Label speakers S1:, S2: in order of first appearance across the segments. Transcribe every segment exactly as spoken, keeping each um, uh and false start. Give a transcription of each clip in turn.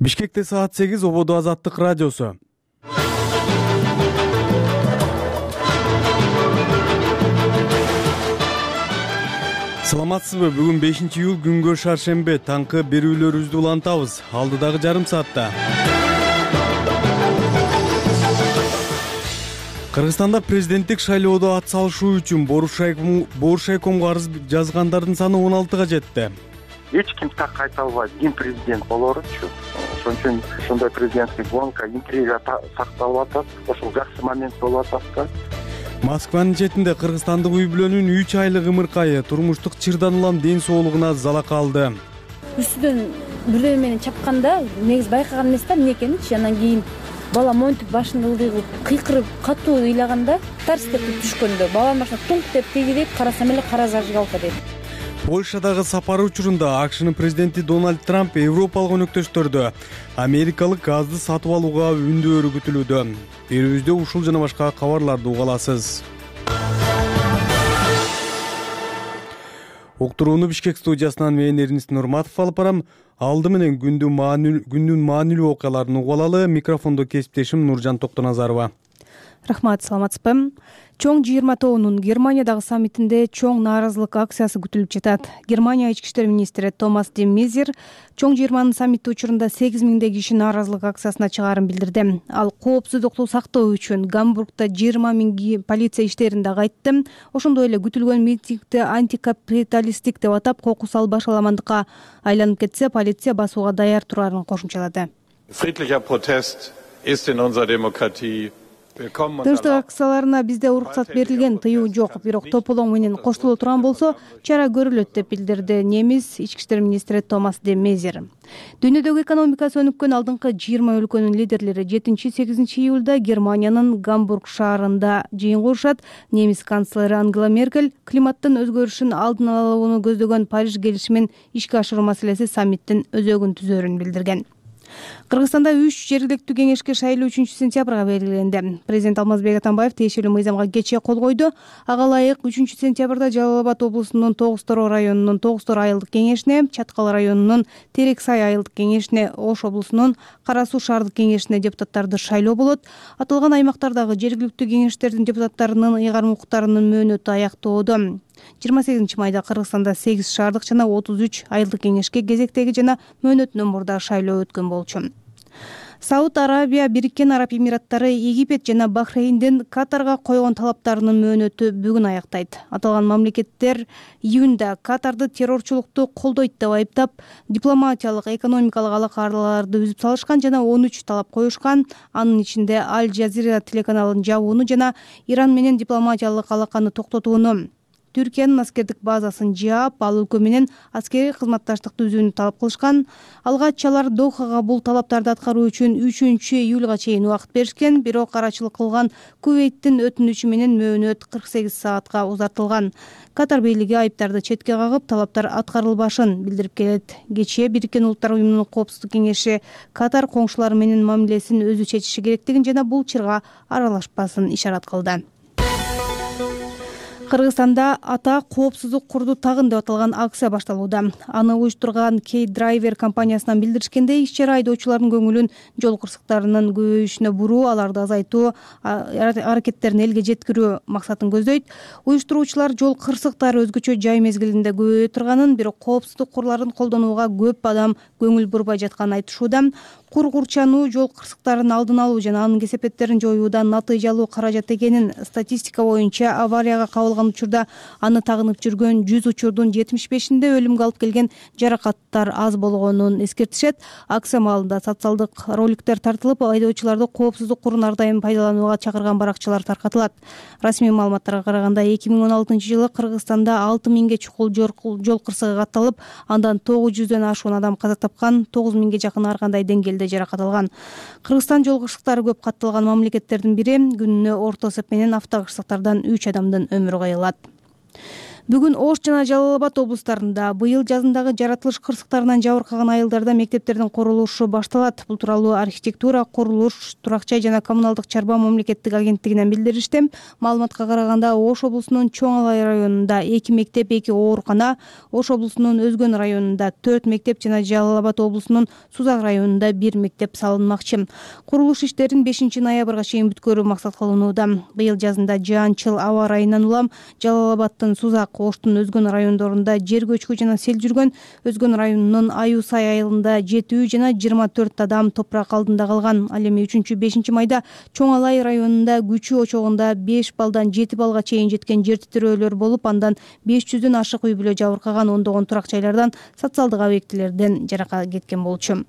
S1: Бишкекте саат сегиз, Ободо Азаттык радиосу. Саламатсызбы? Бүгүн бешинчи июль, күнгө шаршембе. Таңкы берүүлөрүбүздү улантабыз. Алдыдагы жарым саатта. Кыргызстанда президенттик шайлоодо ат салышуу үчүн Боршайкомго арыз жазгандардын саны он алтыга жетти.
S2: Эч ким так айта албайт, ким президент болоручу. Ошон үчүн ушундай президентский гонка, интрига сакталып атат. Ошол жакшы момент болуп атат да.
S1: Москванын четинде кыргызстандык үй бүлөнүн үч айлык ымыркайы турмуштук чырдан улам ден соолугуна залак алды.
S3: Үстүдөн бирөө менен чапканда негизи байкаган эмес да, эмне экенинчи. Анан кийин бала монтип башын ылдый кылып кыйкырып катуу ыйлаганда тарс деп түшкөндө баланын башына туңк деп тийгип карасам эле кара зажигалка дейт.
S1: Польшадагы сапары учурунда АКШнын президенти Дональд Трамп европалык өнөктөштөрдү Америкалык газды сатып алууга үндөөрү күтүлүүдө. Берүүбүздө ушул жана башка кабарларды уга аласыз. Уктурууну Бишкек студиясынан мен Эрнис Нурматов алып барам. Алды менен күндүн маанилүү окуяларын угуп алалы. Микрофондо кесиптешим Нуржан Токтоназарова.
S4: Рахмат, саламатсызбы? Чоң жыйырма тобунун Германиядагы саммитинде чоң нааразылык акциясы күтүлүп жатат. Германия ички иштер министри Томас де Мезер чоң жыйырманын саммити учурунда сегиз миңдей киши нааразылык акциясына чыгаарын билдирди. Ал коопсуздукту сактоо үчүн Гамбургда жыйырма миң полиция иштерин дагы айтты. Ошондой эле күтүлгөн митингди антикапиталисттик деп атап, кокус башаламандыкка айланып кетсе, полиция басууга даяр турарын кошумчалады.
S5: Friedlicher Protest ist in unserer Demokratie.
S4: Тынчтык акцияларына бизде уруксат берилген, тыюу жок. Бирок тополоң менен коштоло турган болсо, чара көрүлөт деп билдирди немис ички иштер министри Томас де Мезер. Дүйнөдөгү экономикасы өнүккөн алдыңкы жыйырма өлкөнүн лидерлери жетинчи-сегизинчи июлда Германиянын Гамбург шаарында жыйын курушат. Немис канцлери Ангела Меркель климаттын өзгөрүшүн алдын алууну көздөгөн Париж келишимин ишке ашыруу маселеси саммиттин өзөгүн түзөөрүн билдирген. Кыргызстанда үч жергиликтүү кеңешке шайлоо үчүнчү сентябрга белгиленди. Президент Алмазбек Атамбаев тиешелүү мыйзамга кечээ кол койду. Ага ылайык үчүнчү сентябрда Жалал Абад облусунун Тогуз-Тороо районунун Тогуз-Тороо айылдык кеңешине, Чаткал районунун Терек-Сай айылдык кеңешине, Ош облусунун Кара Суу шаардык кеңешине депутаттарды шайлоо болот. Аталган аймактардагы жергиликтүү кеңештердин депутаттарынын ыйгарым укуктарынын мөөнөтү аяктоодо. жыйырма сегизинчи майда Кыргызстанда сегиз шаардык жана отуз үч айылдык кеңешке кезектеги жана мөөнөтүнөн мурда шайлоо өткөн болчу. Сауд Арабия, Бириккен Араб Эмираттары, Египет жана Бахрейндин Катарга койгон талаптарынын мөөнөтү бүгүн аяктайт. Аталган мамлекеттер июнда Катарды террорчулукту колдойт деп айыптап, дипломатиялык, экономикалык алакаларды үзүп салышкан жана он үч талап коюшкан. Анын ичинде Аль Жазира телеканалын жабууну жана Иран менен дипломатиялык алаканы токтотууну, Түркиянын аскердик базасын жаап, ал өлкө менен аскерий кызматташтыкты үзүүнү талап кылышкан. Алгач алар Дохага бул талаптарды аткаруу үчүн үчүнчү июлга чейин убакыт беришкен, бирок карачылык кылган Кувейттин өтүнүчү менен мөөнөт кырк сегиз саатка узартылган. Катар бийлиги айыптарды четке кагып, талаптар аткарылбашын билдирип келет. Кечээ Бириккен Улуттар уюмунун Коопсуздук кеңеши Катар коңшулары менен мамилесин өзү чечиши керектигин жана бул чырга аралашпасын ишарат кылды. Кыргызстанда ата коопсуздук курду тагын деп аталган акция башталууда. Аны уюштурган K-Driver компаниясынан билдиришкендей, иш-чара айдоочулардын көңүлүн жол кырсыктарынын көбөйүшүнө буруу, аларды азайтуу аракеттерин элге жеткирүү максатын көздөйт. Уюштуруучулар жол кырсыктары өзгөчө жай мезгилинде көбөйө турганын, бирок коопсуздук курларын колдонууга көп адам көңүл бурбай жатканын айтышууда. Кур курчануу жол кырсыктарын алдын алуу жана анын кесепеттерин жоюуда натыйжалуу каражат экенин, статистика боюнча аварияга кабылган учурда аны тагынып жүргөн жүз учурдун жетимиш бешинде өлүмгө алып келген жаракаттар аз болгонун эскертишет. Акция маалында социалдык роликтер тартылып, айдоочуларды коопсуздук курун ар дайым пайдаланууга чакырган баракчалар таркатылат. Расмий маалыматтарга караганда эки миң он алтынчы жылы Кыргызстанда алты миңге чукул жол кырсыгы катталып, андан тогуз жүздөн ашуун адам каза тапкан, тогуз миңге жакын ар кандай деңгээлде жаракат алган. Кыргызстан жол кырсыктары көп катталган мамлекеттердин бири. Күнүнө орто эсеп менен автокырсыктардан үч адамдын өмүрү кыйылат. Бүгүн Ош жана Жалал Абад облустарында быйыл жазындагы жаратылыш кырсыктарынан жабыркаган айылдарда мектептердин курулушу башталат. Бул тууралуу архитектура, курулуш, турак-жай жана коммуналдык чарба мамлекеттик агенттигинен билдиришти. Маалыматка караганда Ош облусунун Чоң Алай районунда эки мектеп, эки оорукана, Ош облусунун Өзгөн районунда төрт мектеп жана Жалал Абад облусунун Сузак районунда бир мектеп салынмакчы. Курулуш иштерин бешинчи ноябрга чейин бүткөрүү максат кылынууда. Быйыл жазында жаанчыл аба ырайынан улам Жалал Абадтын Сузак, Оштун Өзгөн райондорунда жер көчкү жана сел жүргөн. Өзгөн районунун Аю Сай айылында жетүү жана жыйырма төрт адам топурак алдында калган. Ал эми үчүнчү бешинчи майда Чоң Алай районунда күчү очогунда беш балдан жети балга чейин жеткен жер титирөөлөр болуп, андан беш жүздөн ашык үй бүлө жабыркаган, ондогон турак жайлардан, социалдык объектилерден жарака кеткен болчу.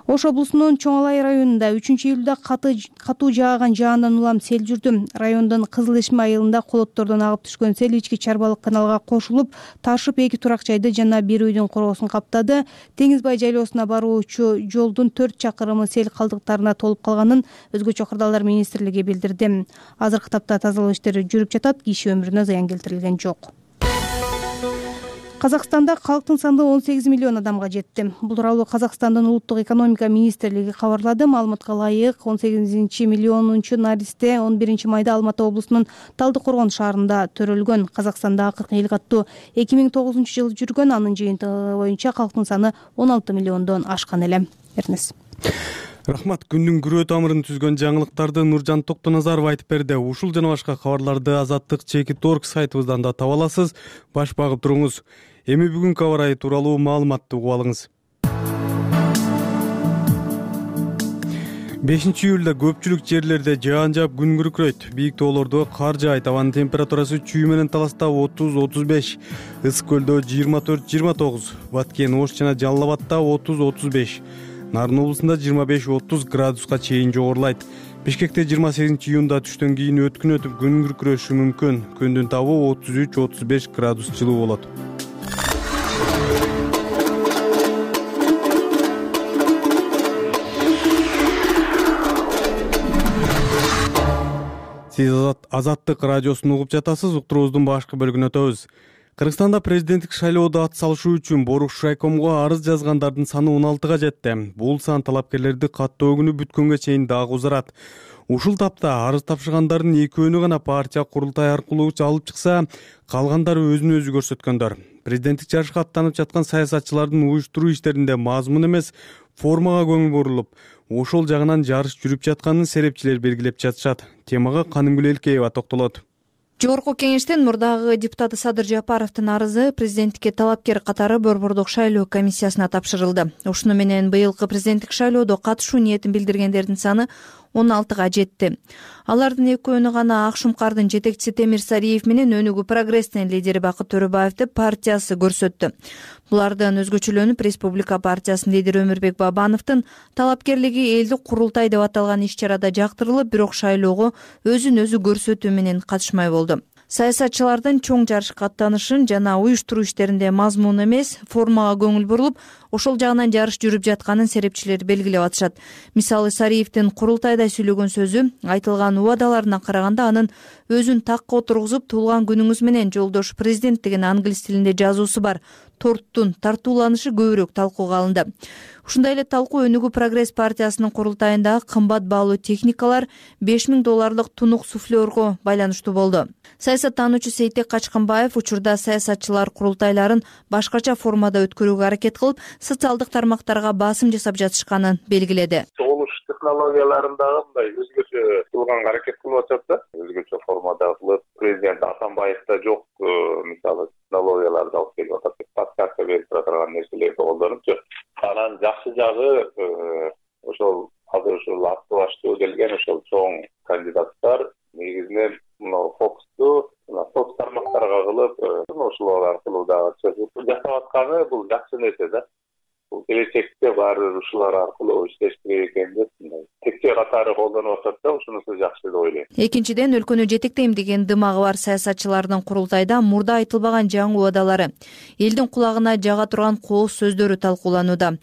S4: Ош облусунун Чоң Алай районунда үчүнчү июлда катуу жааган жаандан улам сел жүрдү. Райондун Кызыл Эшме айылында колоттордон агып түшкөн сел ички Чарбалык каналга кошулуп, ташып эки турак жайды жана бир үйдүн короосун каптады. Теңиз Бай жайлоосуна баруучу жолдун төрт чакырымы сел калдыктарына толуп калганын Өзгөчө кырдаалдар министрлиги билдирди. Азыркы тапта тазалоо иштери жүрүп жатат, киши өмүрүнө зыян келтирилген жок. Казакстанда калктын саны он сегиз миллион адамга жетти. Бул тууралуу Казакстандын улуттук экономика министрлиги кабарлады. Маалыматка ылайык, он сегизинчи миллионунчу наристе он биринчи майда Алматы облусунун Талды Коргон шаарында төрөлгөн. Казакстанда акыркы эл каттуу эки миң тогузунчу жылы жүргөн. Анын жыйынтыгы боюнча калктын саны он алты миллиондон ашкан эле. Эрнес.
S1: Рахмат. Күндүн күрөө тамырын түзгөн жаңылыктарды Нуржан Токтоназаров айтып берди. Ушул жана башка кабарларды Азаттык чекит точка орг сайтыбыздан да таба аласыз. Баш багып туруңуз. Эми бүгүнкү аба ырайы тууралуу маалыматты угуп алыңыз. бешинчи июлда көпчүлүк жерлерде жаан жаап күн күркүрөйт. Бийик тоолордо кар жаайт. Абанын температурасы чүй менен Таласта отуз отуз беш, Ысык көлдө жыйырма төрт жыйырма тогуз, Баткен, Ош жана Жалал Абадта отуз отуз беш, Нарын облусунда жыйырма беш отуз градуска чейин жогорулайт. Бишкекте жыйырма сегизинчи июнда түштөн кийин өткүн өтүп күн күркүрөшү мүмкүн. Күндүн табы отуз үч отуз беш градус жылуу болот. Сиз Азаттык радиосун угуп жатасыз. Уктуруубуздун башкы бөлүгүнө өтөбүз. Кыргызстанда президенттик шайлоодо ат салышуу үчүн Боруш райкомго арыз жазгандардын саны он алтыга жетти. Бул сан талапкерлерди каттоо күнү бүткөнгө чейин дагы узарат. Ушул тапта арыз тапшыргандардын экөөнү гана партия курултай аркылуу алып чыкса, калгандары өзүн өзү көрсөткөндөр. Президенттик жарышка аттанып жаткан саясатчылардын уюштуруу иштеринде мазмун эмес, формага көңүл бурулуп, ошол жагынан жарыш жүрүп жатканын серепчилер белгилеп жатышат. Темага Канымгүл Элкеева токтолот.
S6: Жогорку кеңештин мурдагы депутаты Садыр Жапаровдун арызы президенттикке талапкер катары Борбордук шайлоо комиссиясына тапшырылды. Ушуну менен быйылкы президенттик шайлоодо катышуу ниетин билдиргендердин саны он алтыга жетти. Алардын экөөнү гана Ак Шумкардын жетекчиси Темир Сариев менен Өнүгүү прогресстин лидери Бакыт Төрөбаевди партиясы көрсөттү. Булардан өзгөчөлөнүп Республика партиясынын лидери Өмүрбек Бабановдун талапкерлиги элдик курултай деп аталган иш-чарада жактырылып, бирок шайлоого өзүн өзү көрсөтүү менен катышмай болду. Саясатчылардын чоң жарышка аттанышын жана уюштуруу иштеринде мазмун эмес, формага көңүл бурулуп, ошол жагынан жарыш жүрүп жатканын серепчилер белгилеп атышат. Мисалы, Сариевдин курултайда сүйлөгөн сөзү айтылган убадаларына караганда анын өзүн такка отургузуп, туулган күнүңүз менен жолдош президент деген англис тилинде жазуусу бар торттун тартууланышы көбүрөөк талкууга алынды. Ушундай эле талкуу Өнүгүү прогресс партиясынын курултайында кымбат баалуу техникалар, беш миң долларлык тунук суфлерго байланыштуу болду. Саясаттануучу Сейтек Качканбаев учурда саясатчылар курултайларын башкача формада өткөрүүгө аракет кылып, социалдык тармактарга басым жасап жатышканын белгиледи. Чогулуш технологияларындагы мындай өзгөчө кылганга аракет кылып атат да, өзгөчө формада кылып, президент Атамбаевда жок, мисалы технологияларды алып келип атат деп подсказка берип турган нерселерди колдонупчу. Анан жакшы жагы ошол азыр ушул атты баштуу келген ошол чоң кандидаттар негизинен мына фокусту соц тармактарга кылып, ошолор аркылуу дагы жасап атканы бул жакшы нерсе да. Бул келечекте баары ушулар аркылуу иштеш керек экен деп текче катары колдонуп атат да, ушунусу жакшы деп ойлойм. Экинчиден, өлкөнү жетектейм деген дымагы бар саясатчылардын курултайда мурда айтылбаган жаңы убадалары, элдин кулагына жага турган кооз сөздөрү талкууланууда.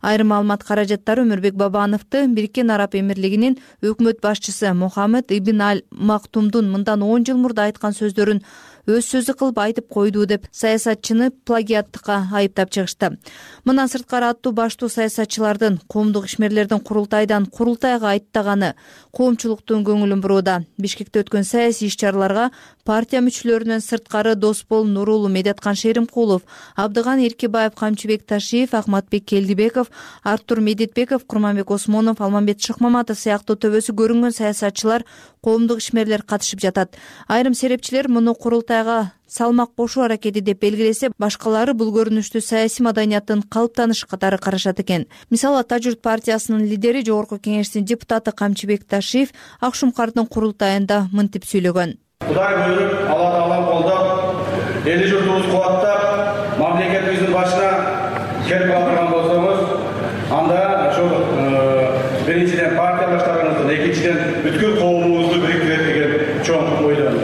S6: Айрым маалымат каражаттары Өмүрбек Бабановду Бириккен Араб Эмирлигинин өкмөт башчысы Мухаммед ибн Аль Мактумдун мындан он жыл мурда айткан сөздөрүн өз сөзү кылып айтып койду деп саясатчыны плагиаттыкка айыптап чыгышты. Мындан сырткары аттуу баштуу саясатчылардын коомдук ишмерлердин курултайдан курултайга айттаганы коомчулуктун көңүлүн бурууда. Бишкекте өткөн саясий иш-чараларга партия мүчөлөрүнөн сырткары Доспол Нурулу, Медеткан Шеримкулов, Абдыган Эркибаев, Камчыбек Ташиев, Ахматбек Келдибеков, Артур Медетбеков, Курманбек Осмонов, Алмамбет Шыкмаматов сыяктуу төбөсү көрүнгөн саясатчылар, коомдук ишмерлер катышып жатат. Айрым серепчилер муну курултайга салмак кошуу аракети деп белгилесе, башкалары бул көрүнүштү саясий маданияттын калыптанышы катары карашат экен. Мисалы, Ата журт партиясынын лидери, Жогорку Кеңештин депутаты Камчыбек Ташиев Ак Шумкардын курултайында мынтип сүйлөгөн.
S7: Кудай буйруп, Алла Таалам колдоп, эли журтубузду кубаттап, мамлекетибиздин башына келип калдырган болсоңуз, анда ошол биринчиден партиялаштарыңыздын, экинчиден бүткүл коомубузду бириктирет деген чоң ойдон.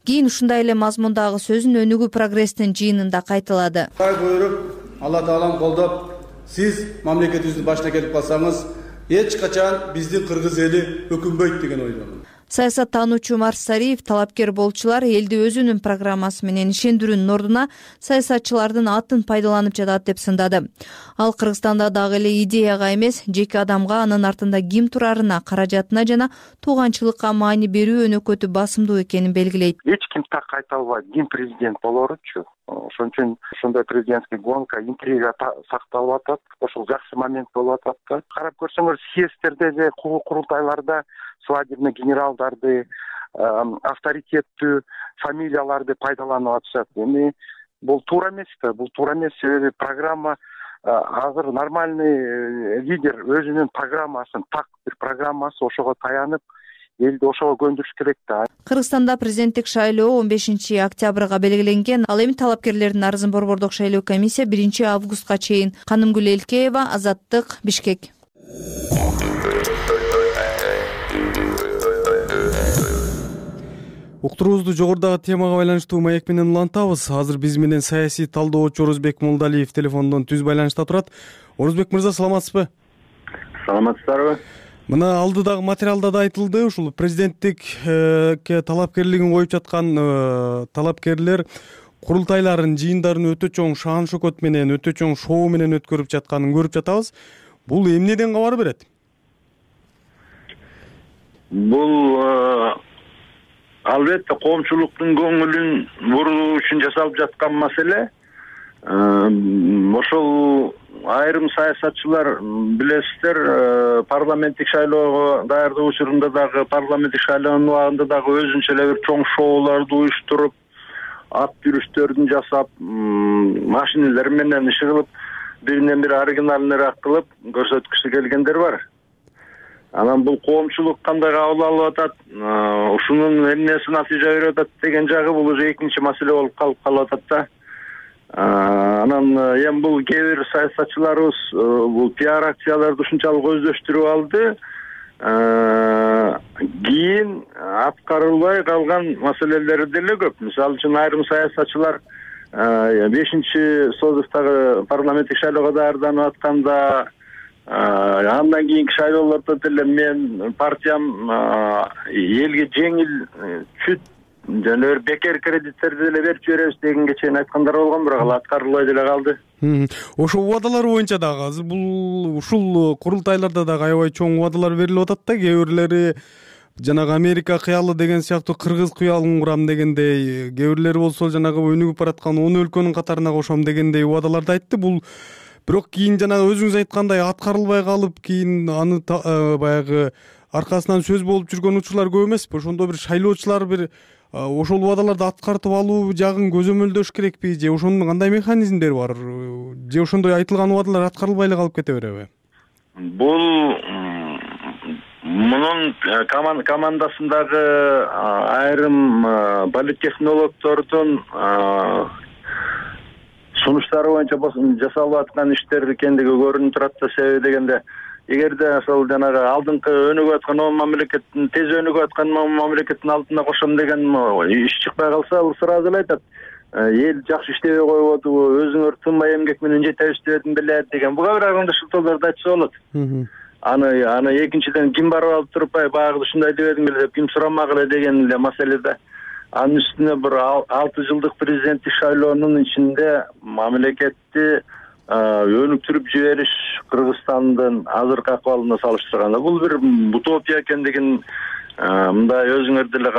S6: Кийин ушундай эле мазмундагы сөзүн Өнүгүү прогресстин жыйынында кайталады.
S7: Кудай буйруп, Алла Таалам колдоп, сиз мамлекетибиздин башына келип калсаңыз, эч качан биздин кыргыз эли өкүнбөйт деген ойдомун.
S6: Саясаттануучу Марс Сариев талапкер болчулар элди өзүнүн программасы менен ишендирүүнүн ордуна саясатчылардын атын пайдаланып жатат деп сындады. Ал Кыргызстанда дагы эле идеяга эмес, жеке адамга, анын артында ким турарына, каражатына жана тууганчылыкка маани берүү өнөкөтү басымдуу экенин белгилейт.
S2: Эч ким так айта албайт, ким президент болоручу. Ошон үчүн ошондой президентский гонка, интрига сакталып атат. Ошол жакшы момент болуп атат да. Карап көрсөңөр, съезддерде же курултайларда свадебный генералдарды, авторитеттүү фамилияларды пайдаланып атышат. Эми бул туура эмес да, бул туура эмес. Себеби программа азыр нормальный лидер өзүнүн программасын, так бир программасы, ошого таянып, элди ошого көндүрүш керек да.
S6: Кыргызстанда президенттик шайлоо он бешинчи октябрга белгиленген. Ал эми талапкерлердин арызын Борбордук шайлоо комиссия биринчи августка чейин. Канымгүл Элкеева, Азаттык, Бишкек.
S1: Уктуруубузду жогорудагы темага байланыштуу маек менен улантабыз. Азыр биз менен саясий талдоочу Орозбек Молдалиев телефондон түз байланышта турат. Орозбек мырза, саламатсызбы?
S8: Саламатсыздарбы?
S1: Мына алдыдагы материалда да айтылды, ушул президенттикке талапкерлигин коюп жаткан талапкерлер курултайларын, жыйындарын өтө чоң шаан шөкөт менен, өтө чоң шоу менен өткөрүп жатканын көрүп жатабыз. Бул эмнеден кабар берет?
S8: Бул албетте коомчулуктун көңүлүн буруу үчүн жасалып жаткан маселе. Ошол айрым саясатчылар, билесиздер, парламенттик шайлоого даярдоо учурунда дагы, парламенттик шайлоонун убагында дагы өзүнчө эле бир чоң шоуларды уюштуруп, ат жүрүштөрдүн жасап, машинелер менен иши кылып, биринен бири оригиналыныраак кылып көрсөткүсү келгендер бар. Анан бул коомчулук кандай кабыл алып атат, ушунун эмнеси натыйжа берип атат деген жагы бул уже экинчи маселе болуп калып калып атат да. Анан эми бул кээ бир саясатчыларыбыз бул пиар акцияларды ушунчалык өздөштүрүп алды. Кийин аткарылбай калган маселелери деле көп. Мисалы үчүн айрым саясатчылар бешинчи созувдагы парламенттик шайлоого даярданып атканда, андан кийинки шайлоолордо деле мен партиям элге жеңил чүт жана бир бекер кредиттерди деле берип жиберебиз дегенге чейин айткандар болгон, бирок ал аткарылбай деле калды.
S1: Ошо убадалар боюнча дагы азыр бул ушул курултайларда дагы аябай чоң убадалар берилип атат да. Кээ бирлери жанагы Америка кыялы деген сыяктуу кыргыз кыялын курам дегендей, кээ бирлери болсо жанагы өнүгүп бараткан он өлкөнүн катарына кошом дегендей убадаларды айтты. Бул бирок кийин жанагы өзүңүз айткандай аткарылбай калып, кийин аны баягы аркасынан сөз болуп жүргөн учурлар көп эмеспи? Ошондо бир шайлоочулар бир ошол убадаларды аткартып алуу жагын көзөмөлдөш керекпи, же ошонун кандай механизмдери бар, же ошондой айтылган убадалар аткарылбай эле калып кете береби?
S8: Бул мунун командасындагы айрым политтехнологдордун сунуштары боюнча жасалып аткан иштер экендиги көрүнүп турат да. Себеби дегенде, эгерде ошол жанагы алдыңкы өнүгүп аткан мамлекеттин, тез өнүгүп аткан мамлекеттин алдына кошом деген иш чыкпай калса, ал сразу эле айтат: эл жакшы иштебей коюп атабы, өзүңөр тынбай эмгек менен жетебиз дебедим беле деген буга бир анда шылтоолорду айтса болот. Аны аны экинчиден ким барып алып туруп баягы ушундай дебедиң беле деп ким сурамагыла деген эле маселе да. Анын үстүнө бир алты жылдык президенттик шайлоонун ичинде мамлекетти өнүктүрүп жибериш Кыргызстандын азыркы акыбалына салыштырганда бул бир утопия экендигин мындай өзүңөр деле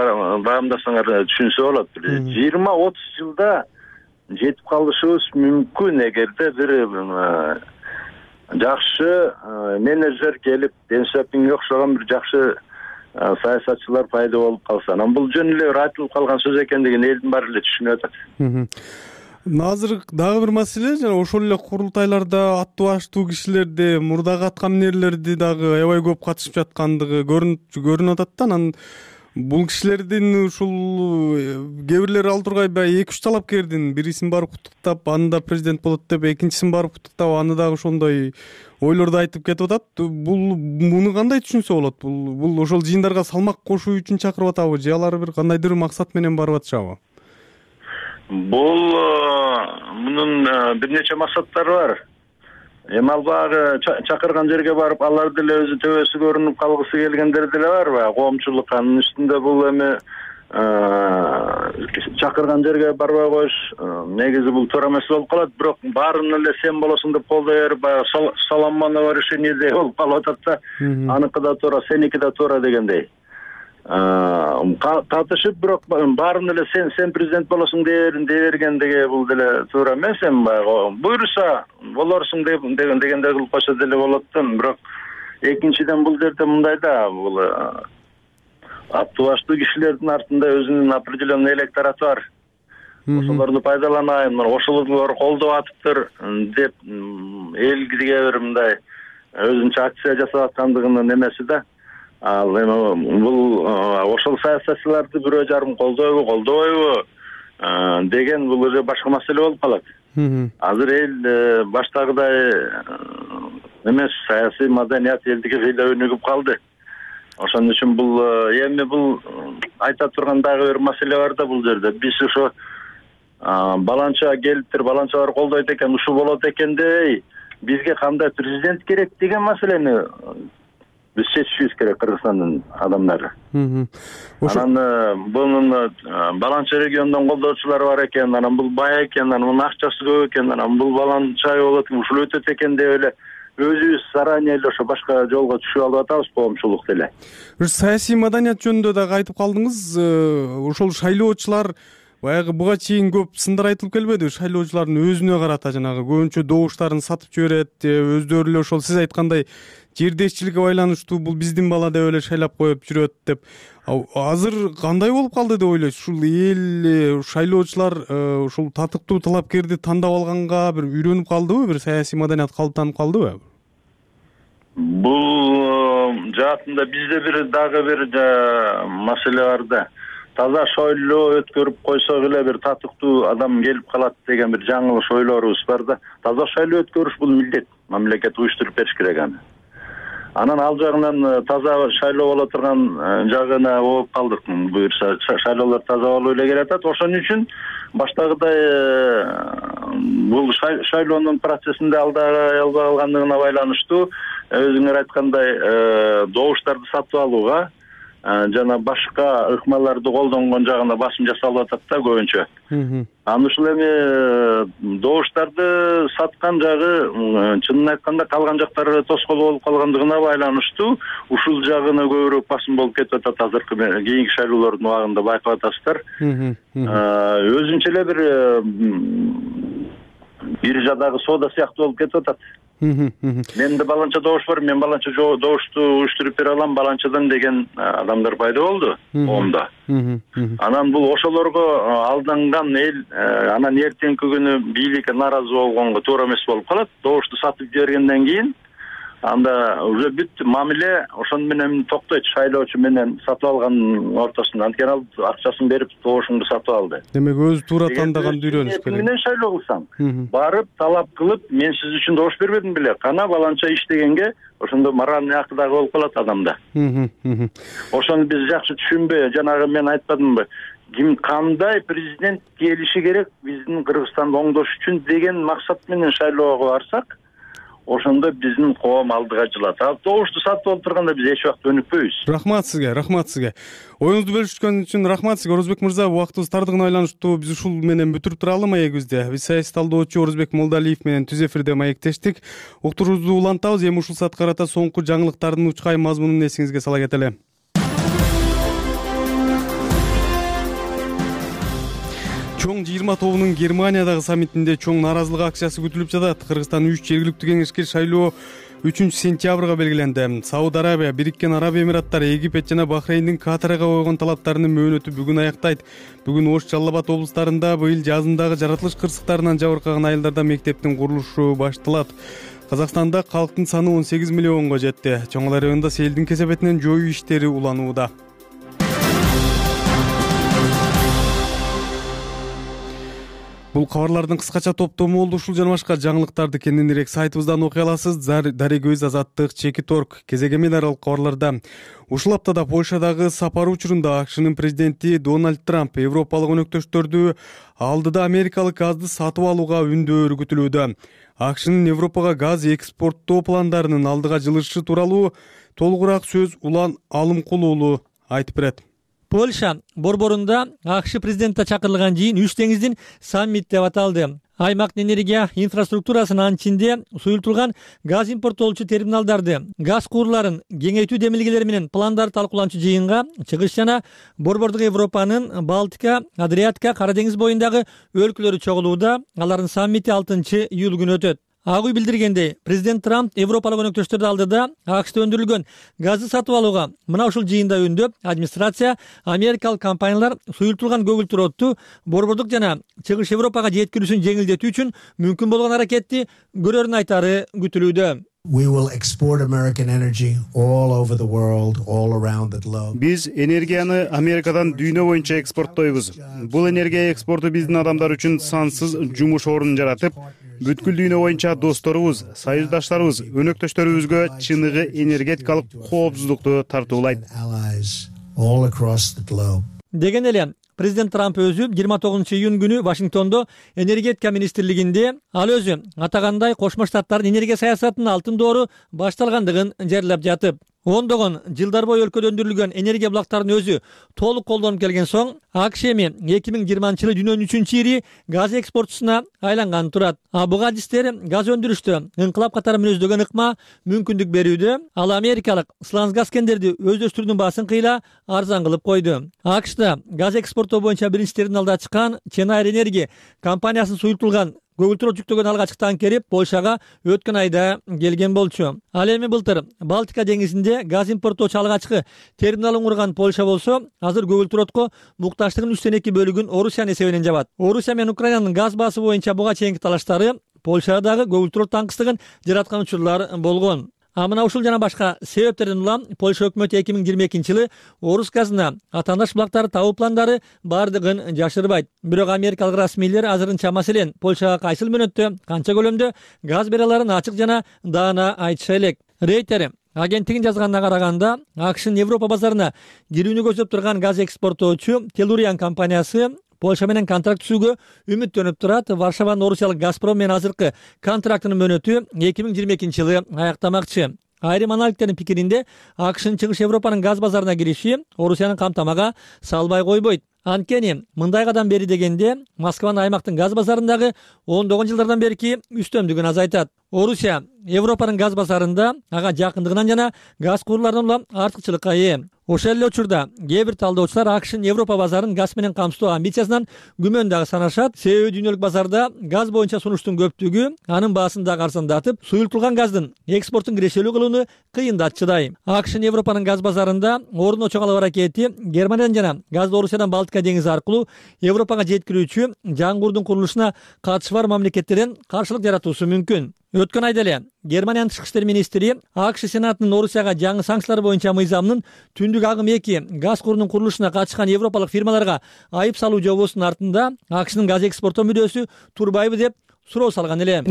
S8: баамдасаңар түшүнсө болот. жыйырма отуз жылда жетип калышыбыз мүмкүн эгерде бир жакшы менеджер келип, Ден Сяопинге окшогон бир жакшы саясатчылар пайда болуп калса. Анан бул жөн эле бир айтылып калган сөз экендигин элдин баары эле түшүнүп атат.
S1: Азыр дагы бир маселе, жана ошол эле курултайларда аттуу баштуу кишилерди, мурдагы аткаминерлерди дагы аябай көп катышып жаткандыгы көрүнүп көрүнүп атат да. Анан бул кишилердин ушул кээ бирлери ал тургай баягы эки үч талапкердин бирисин барып куттуктап, аны да президент болот деп, экинчисин барып куттуктап, аны дагы ошондой ойлорду айтып кетип атат. Бул муну кандай түшүнсө болот? Бул бул ошол жыйындарга салмак кошуу үчүн чакырып атабы же алар бир кандайдыр максат менен барып атышабы?
S8: Бул мунун бир нече максаттары бар. Эми ал баягы чакырган жерге барып, алар деле өзү төбөсү көрүнүп калгысы келгендер деле бар баягы коомчулук. Анын үстүндө бул эми чакырган жерге барбай коюш негизи бул туура эмес болуп калат. Бирок баарын эле сен болосуң деп колдой берип, баягы Соломоново решениеде болуп калып атат да. Аныкы да туура, сеники да туура дегендей. Катышып, бирок баарын эле сен сен президент болосуң дей бергендиги бул деле туура эмес. Эми баягы буйруса болорсуң деген дегенде кылып койсо деле болот да. Бирок экинчиден бул жерде мындай да, бул аттуу баштуу кишилердин артында өзүнүн определенный электораты бар. Ошолорду пайдаланайын, ошолор колдоп атыптыр деп элге бир мындай өзүнчө акция жасап аткандыгынын эмеси да. Ал эми бул ошол саясатчыларды бирөө жарым колдойбу, колдобойбу деген бул уже башка маселе болуп калат. Азыр эл баштагыдай эмес, саясий маданият элдиги кыйла өнүгүп калды. Ошон үчүн бул эми бул айта турган дагы бир маселе бар да бул жерде. Биз ошо баланча келиптир, баланчалар колдойт экен, ушул болот экен дей, бизге кандай президент керек деген маселени биз чечишибиз керек, Кыргызстандын адамдары. Анан бунун баланча региондон колдоочулары бар экен, анан бул бай экен, анан мунун акчасы көп экен, анан бул баланча болот, ушул өтөт экен деп эле өзүбүз заранее эле ошо башка жолго түшүп алып атабыз коомчулук деле.
S1: Бир саясий маданият жөнүндө дагы айтып калдыңыз. Ошол шайлоочулар баягы буга чейин көп сындар айтылып келбеди? Шайлоочулардын өзүнө карата жанагы көбүнчө добуштарын сатып жиберет, өздөрү эле ошол сиз айткандай жердешчиликке байланыштуу бул биздин бала деп эле шайлап коюп жүрөт деп. Азыр кандай болуп калды деп ойлойсуз? Ушул эл, шайлоочулар ушул татыктуу талапкерди тандап алганга бир үйрөнүп калдыбы? Бир саясий маданият калыптанып калдыбы?
S8: Бул жаатында бизде бир дагы бир маселе бар да. Таза шайлоо өткөрүп койсок эле бир татыктуу адам келип калат деген бир жаңылыш ойлорубуз бар да. Таза шайлоо өткөрүш бул милдет. Мамлекет уюштуруп бериш керек аны. Анан ал жагынан таза шайлоо боло турган жагына болуп калдык. Буюрса шайлоолор таза болуп эле келатат. Ошон үчүн баштагыдай бул шайлоонун процессинде алдай албай калгандыгына байланыштуу өзүңөр айткандай добуштарды сатып алууга жана башка ыкмаларды колдонгон жагына басым жасалып атат да көбүнчө. Анан ушул эми добуштарды саткан жагы чынын айтканда калган жактары тоскоол болуп калгандыгына байланыштуу ушул жагына көбүрөөк басым болуп кетип атат. Азыркы кийинки шайлоолордун убагында байкап атасыздар. Өзүнчө эле бир биржадагы соода сыяктуу болуп кетип атат. Менде баланча добуш бар, мен баланча добушту уюштуруп бере алам баланчадан деген адамдар пайда болду коомдо. Анан бул ошолорго алданган эл анан эртеңки күнү бийликке нааразы болгонго туура эмес болуп калат. Добушту сатып жибергенден кийин анда уже бүт мамиле ошон менен токтойт, шайлоочу менен сатып алган ортосунда. Анткени ал акчасын берип добушуңду сатып алды.
S1: Демек өзү туура тандаганды үйрөнүш керек.
S8: Менен шайлоо кылсаң, барып талап кылып, мен сиз үчүн добуш бербедим беле, кана баланча иштегенге ошондо моральный акы дагы болуп калат адамда. Ошону биз жакшы түшүнбөй, жанагы мен айтпадымбы, ким кандай президент келиши керек биздин Кыргызстанды оңдош үчүн деген максат менен шайлоого барсак, ошондо биздин коом алдыга жылат. Ал добушту сатып алып турганда биз эч убакта өнүкпөйбүз.
S1: Рахмат сизге, рахмат сизге. Оюңузду бөлүшкөн үчүн рахмат сизге, Орозбек мырза. Убактыбыз тардыгына байланыштуу биз ушул менен бүтүрүп туралы маегибизди. Биз саясий талдоочу Орозбек Молдалиев менен түз эфирде маектештик. Уктуруубузду улантабыз. Эми ушул саатка карата соңку жаңылыктардын учкай мазмунун эсиңизге сала кетели. Чоң жыйырма тобунун Германиядагы саммитинде чоң нааразылык акциясы күтүлүп жатат. Кыргызстан үч жергиликтүү кеңешке шайлоо үчүнчү сентябрга белгиленди. Сауд Арабия, Бириккен Араб Эмираттары, Египет жана Бахрейндин Катарга койгон талаптарынын мөөнөтү бүгүн аяктайт. Бүгүн Ош, Жалал Абад облустарында быйыл жазындагы жаратылыш кырсыктарынан жабыркаган айылдарда мектептин курулушу башталат. Казакстанда калктын саны он сегиз миллионго жетти. Чоңал районунда селдин кесепетинен жоюу иштери уланууда. Бул кабарлардын кыскача топтому болду. Ушул жана башка жаңылыктарды кененирээк сайтыбыздан окуй аласыз. Дарек көз, Азаттык, Чекит точка орг, кезеге аралык кабарларда. Ушул аптада Польшадагы сапары учурунда АКШнын президенти Дональд Трамп европалык өнөктөштөрдү алдыда америкалык газды сатып алууга үндөө күтүлүүдө. АКШнын Европага газ экспорттоо пландарынын алдыга жылышы тууралуу толугураак сөз Улан Алымкул уулу айтып берет.
S9: Польша борборунда АКШ президенти чакырылган жыйын үч деңиздин саммит деп аталды. Аймактын энергия инфраструктурасынын анчинде суюлтулган газ импорттоочу терминалдарды, газ куурларын кеңейтүү демилгелери менен пландарды талкууланчу жыйынга чыгыш жана борбордук Европанын Балтика, Адриатика, Кара деңиз боюндагы өлкөлөрү чогулууда. Алардын саммити алтынчы июль күнү өтөт. Ак үй билдиргендей, президент Трамп европалык өнөктөштөрдү алдыда АКШда өндүрүлгөн газды сатып алууга мына ушул жыйында үндөп, администрация америкалык компаниялар суюлтулган көгүлтүр борбордук жана чыгыш Европага жеткирүүсүн жеңилдетүү үчүн мүмкүн болгон аракетти көрөрүн айтары күтүлүүдө.
S10: We will export American energy all over the world, all around the globe.
S11: Биз энергияны Америкадан дүйнө боюнча экспорттойбуз. Бул энергия экспорту биздин адамдар үчүн сансыз жумуш орнун жаратып, бүткүл дүйнө боюнча досторубуз, союздаштарыбыз, өнөктөштөрүбүзгө чыныгы энергетикалык коопсуздукту тартуулайт.
S9: Деген эле президент Трамп өзү жыйырма тогузунчу июнь күнү Вашингтондо энергетика министрлигинде ал өзү атагандай Кошмо Штаттардын энергия саясатынын алтын доору башталгандыгын жерлеп жатып, ондогон жылдар бою өлкөдө өндүрүлгөн энергия булактарынын өзү толук колдонуп келген соң АКШ эми эки миң жыйырманчы жылы дүйнөнүн үчүнчү ири газ экспортчусуна айланганы турат. А буга адистер газ өндүрүштө ыңкылап катары мүнөздөгөн ыкма мүмкүндүк берүүдө. Ал америкалык Сланцгаз кендерди өздөштүрүүнүн баасын кыйла арзан кылып койду. АКШда газ экспорттоо боюнча биринчи терминалды ачкан Ченайр Энерги компаниясынын суюлтулган көгүлтүр жүктөгөн алгачкы танкери Польшага өткөн айда келген болчу. Ал эми былтыр Балтика деңизинде газ импорттоочу алгачкы терминалын курган Польша болсо, азыр көгүлтүрөткө мукташтыгынын үчтөн эки бөлүгүн Орусиянын эсебинен жабат. Орусия менен Украинанын газ баасы боюнча буга чейинки талаштары Польшадагы көгүлтүрөт таңкыстыгын жараткан учурлар болгон. А мына ушул жана башка себептерден улам Польша өкмөтү эки миң жыйырма экинчи жылы орус газына атаандаш булактарды табуу пландары бардыгын жашырбайт. Бирок америкалык расмийлер азырынча маселен Польшага кайсыл мөөнөттө, канча көлөмдө газ бере аларын ачык жана даана айтыша элек. Рейтер агенттигин жазганына караганда, АКШнын Европа базарына кирүүнү көздөп турган газ экспорттоочу Телуриан компаниясы Польша менен контракт түзүүгө үмүттөнүп турат. Варшаванын орусиялык Газпром менен азыркы контрактынын мөөнөтү эки миң жыйырма экинчи жылы аяктамакчы. Айрым аналитиктердин пикиринде, АКШнын чыгыш Европанын газ базарына кириши Орусиянын камтамага салбай койбойт. Анткени мындайгадан бери дегенде Москванын аймактын газ базарындагы ондогон жылдардан берки үстөмдүгүн азайтат. Орусия Европанын газ базарында ага жакындыгынан жана газ куурларынан улам артыкчылыкка ээ. Ошол эле учурда кээ бир талдоочулар АКШнын Европа базарын газ менен камсыздоо амбициясынан күмөн дагы санашат. Себеби дүйнөлүк базарда газ боюнча сунуштун көптүгү анын баасын дагы арзандатып, суюлтулган газдын экспортун кирешелүү кылууну кыйындатчыдай. АКШнын Европанын газ базарында ордуна чоголуу аракети Германиядан жана газды Орусиядан Балтика деңизи аркылуу Европага жеткирүүчү жаңгурдун курулушуна катышы бар мамлекеттерден каршылык жаратуусу мүмкүн. Өткөн айда эле Германиянын тышкы иштер министри АКШ Сенатынын Орусияга жаңы санкциялар боюнча мыйзамынын түндүк агым эки газ курунун курулушуна катышкан европалык фирмаларга айып салуу жобосунун артында АКШнын газ экспорттоо мүдөөсү турбайбы деп суроо салган эле.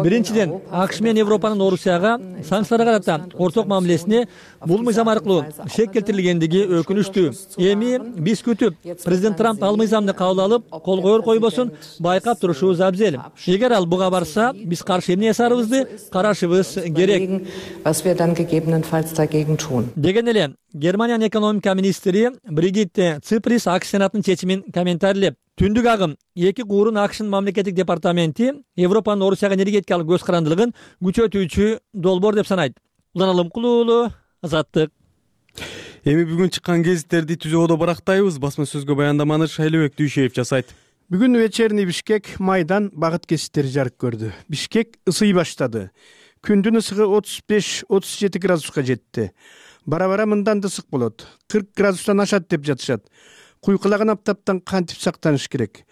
S9: Биринчиден, АКШ менен Европанын Орусияга санкцияларга карата орток мамилесине бул мыйзам аркылуу шек келтирилгендиги өкүнүчтүү. Эми биз күтүп, президент Трамп ал мыйзамды кабыл алып, кол коер койбосун байкап турушубуз абзел. Эгер ал буга барса, биз каршы эмне жасарыбызды карашыбыз керек. Деген эле Германиянын экономика министри Бригитте Циприс АКШ сенатынын чечимин комментарийлеп, түндүк агым эки куурун АКШнын мамлекеттик департаменти Европанын Орусияга энергетикалык көз карандылыгын күчөтүүчү долбоор деп санайт. Улан Алымкулуулу, Азаттык.
S1: Эми бүгүн чыккан гезиттерди түзүүдө барактайбыз. Басма сөзгө баяндаманы Шайлыбек Дүйшеев жасайт.
S12: Бүгүн вечерний Бишкек майдан багыт кесиптери жарык көрдү. Бишкек ысый баштады. Күндүн ысыгы отуз беш отуз жети градуска жетти. Бара-бара мындан да ысык болот. кырк градустан ашат деп жатышат. Куйкулаган аптаптан кантип сактаныш керек?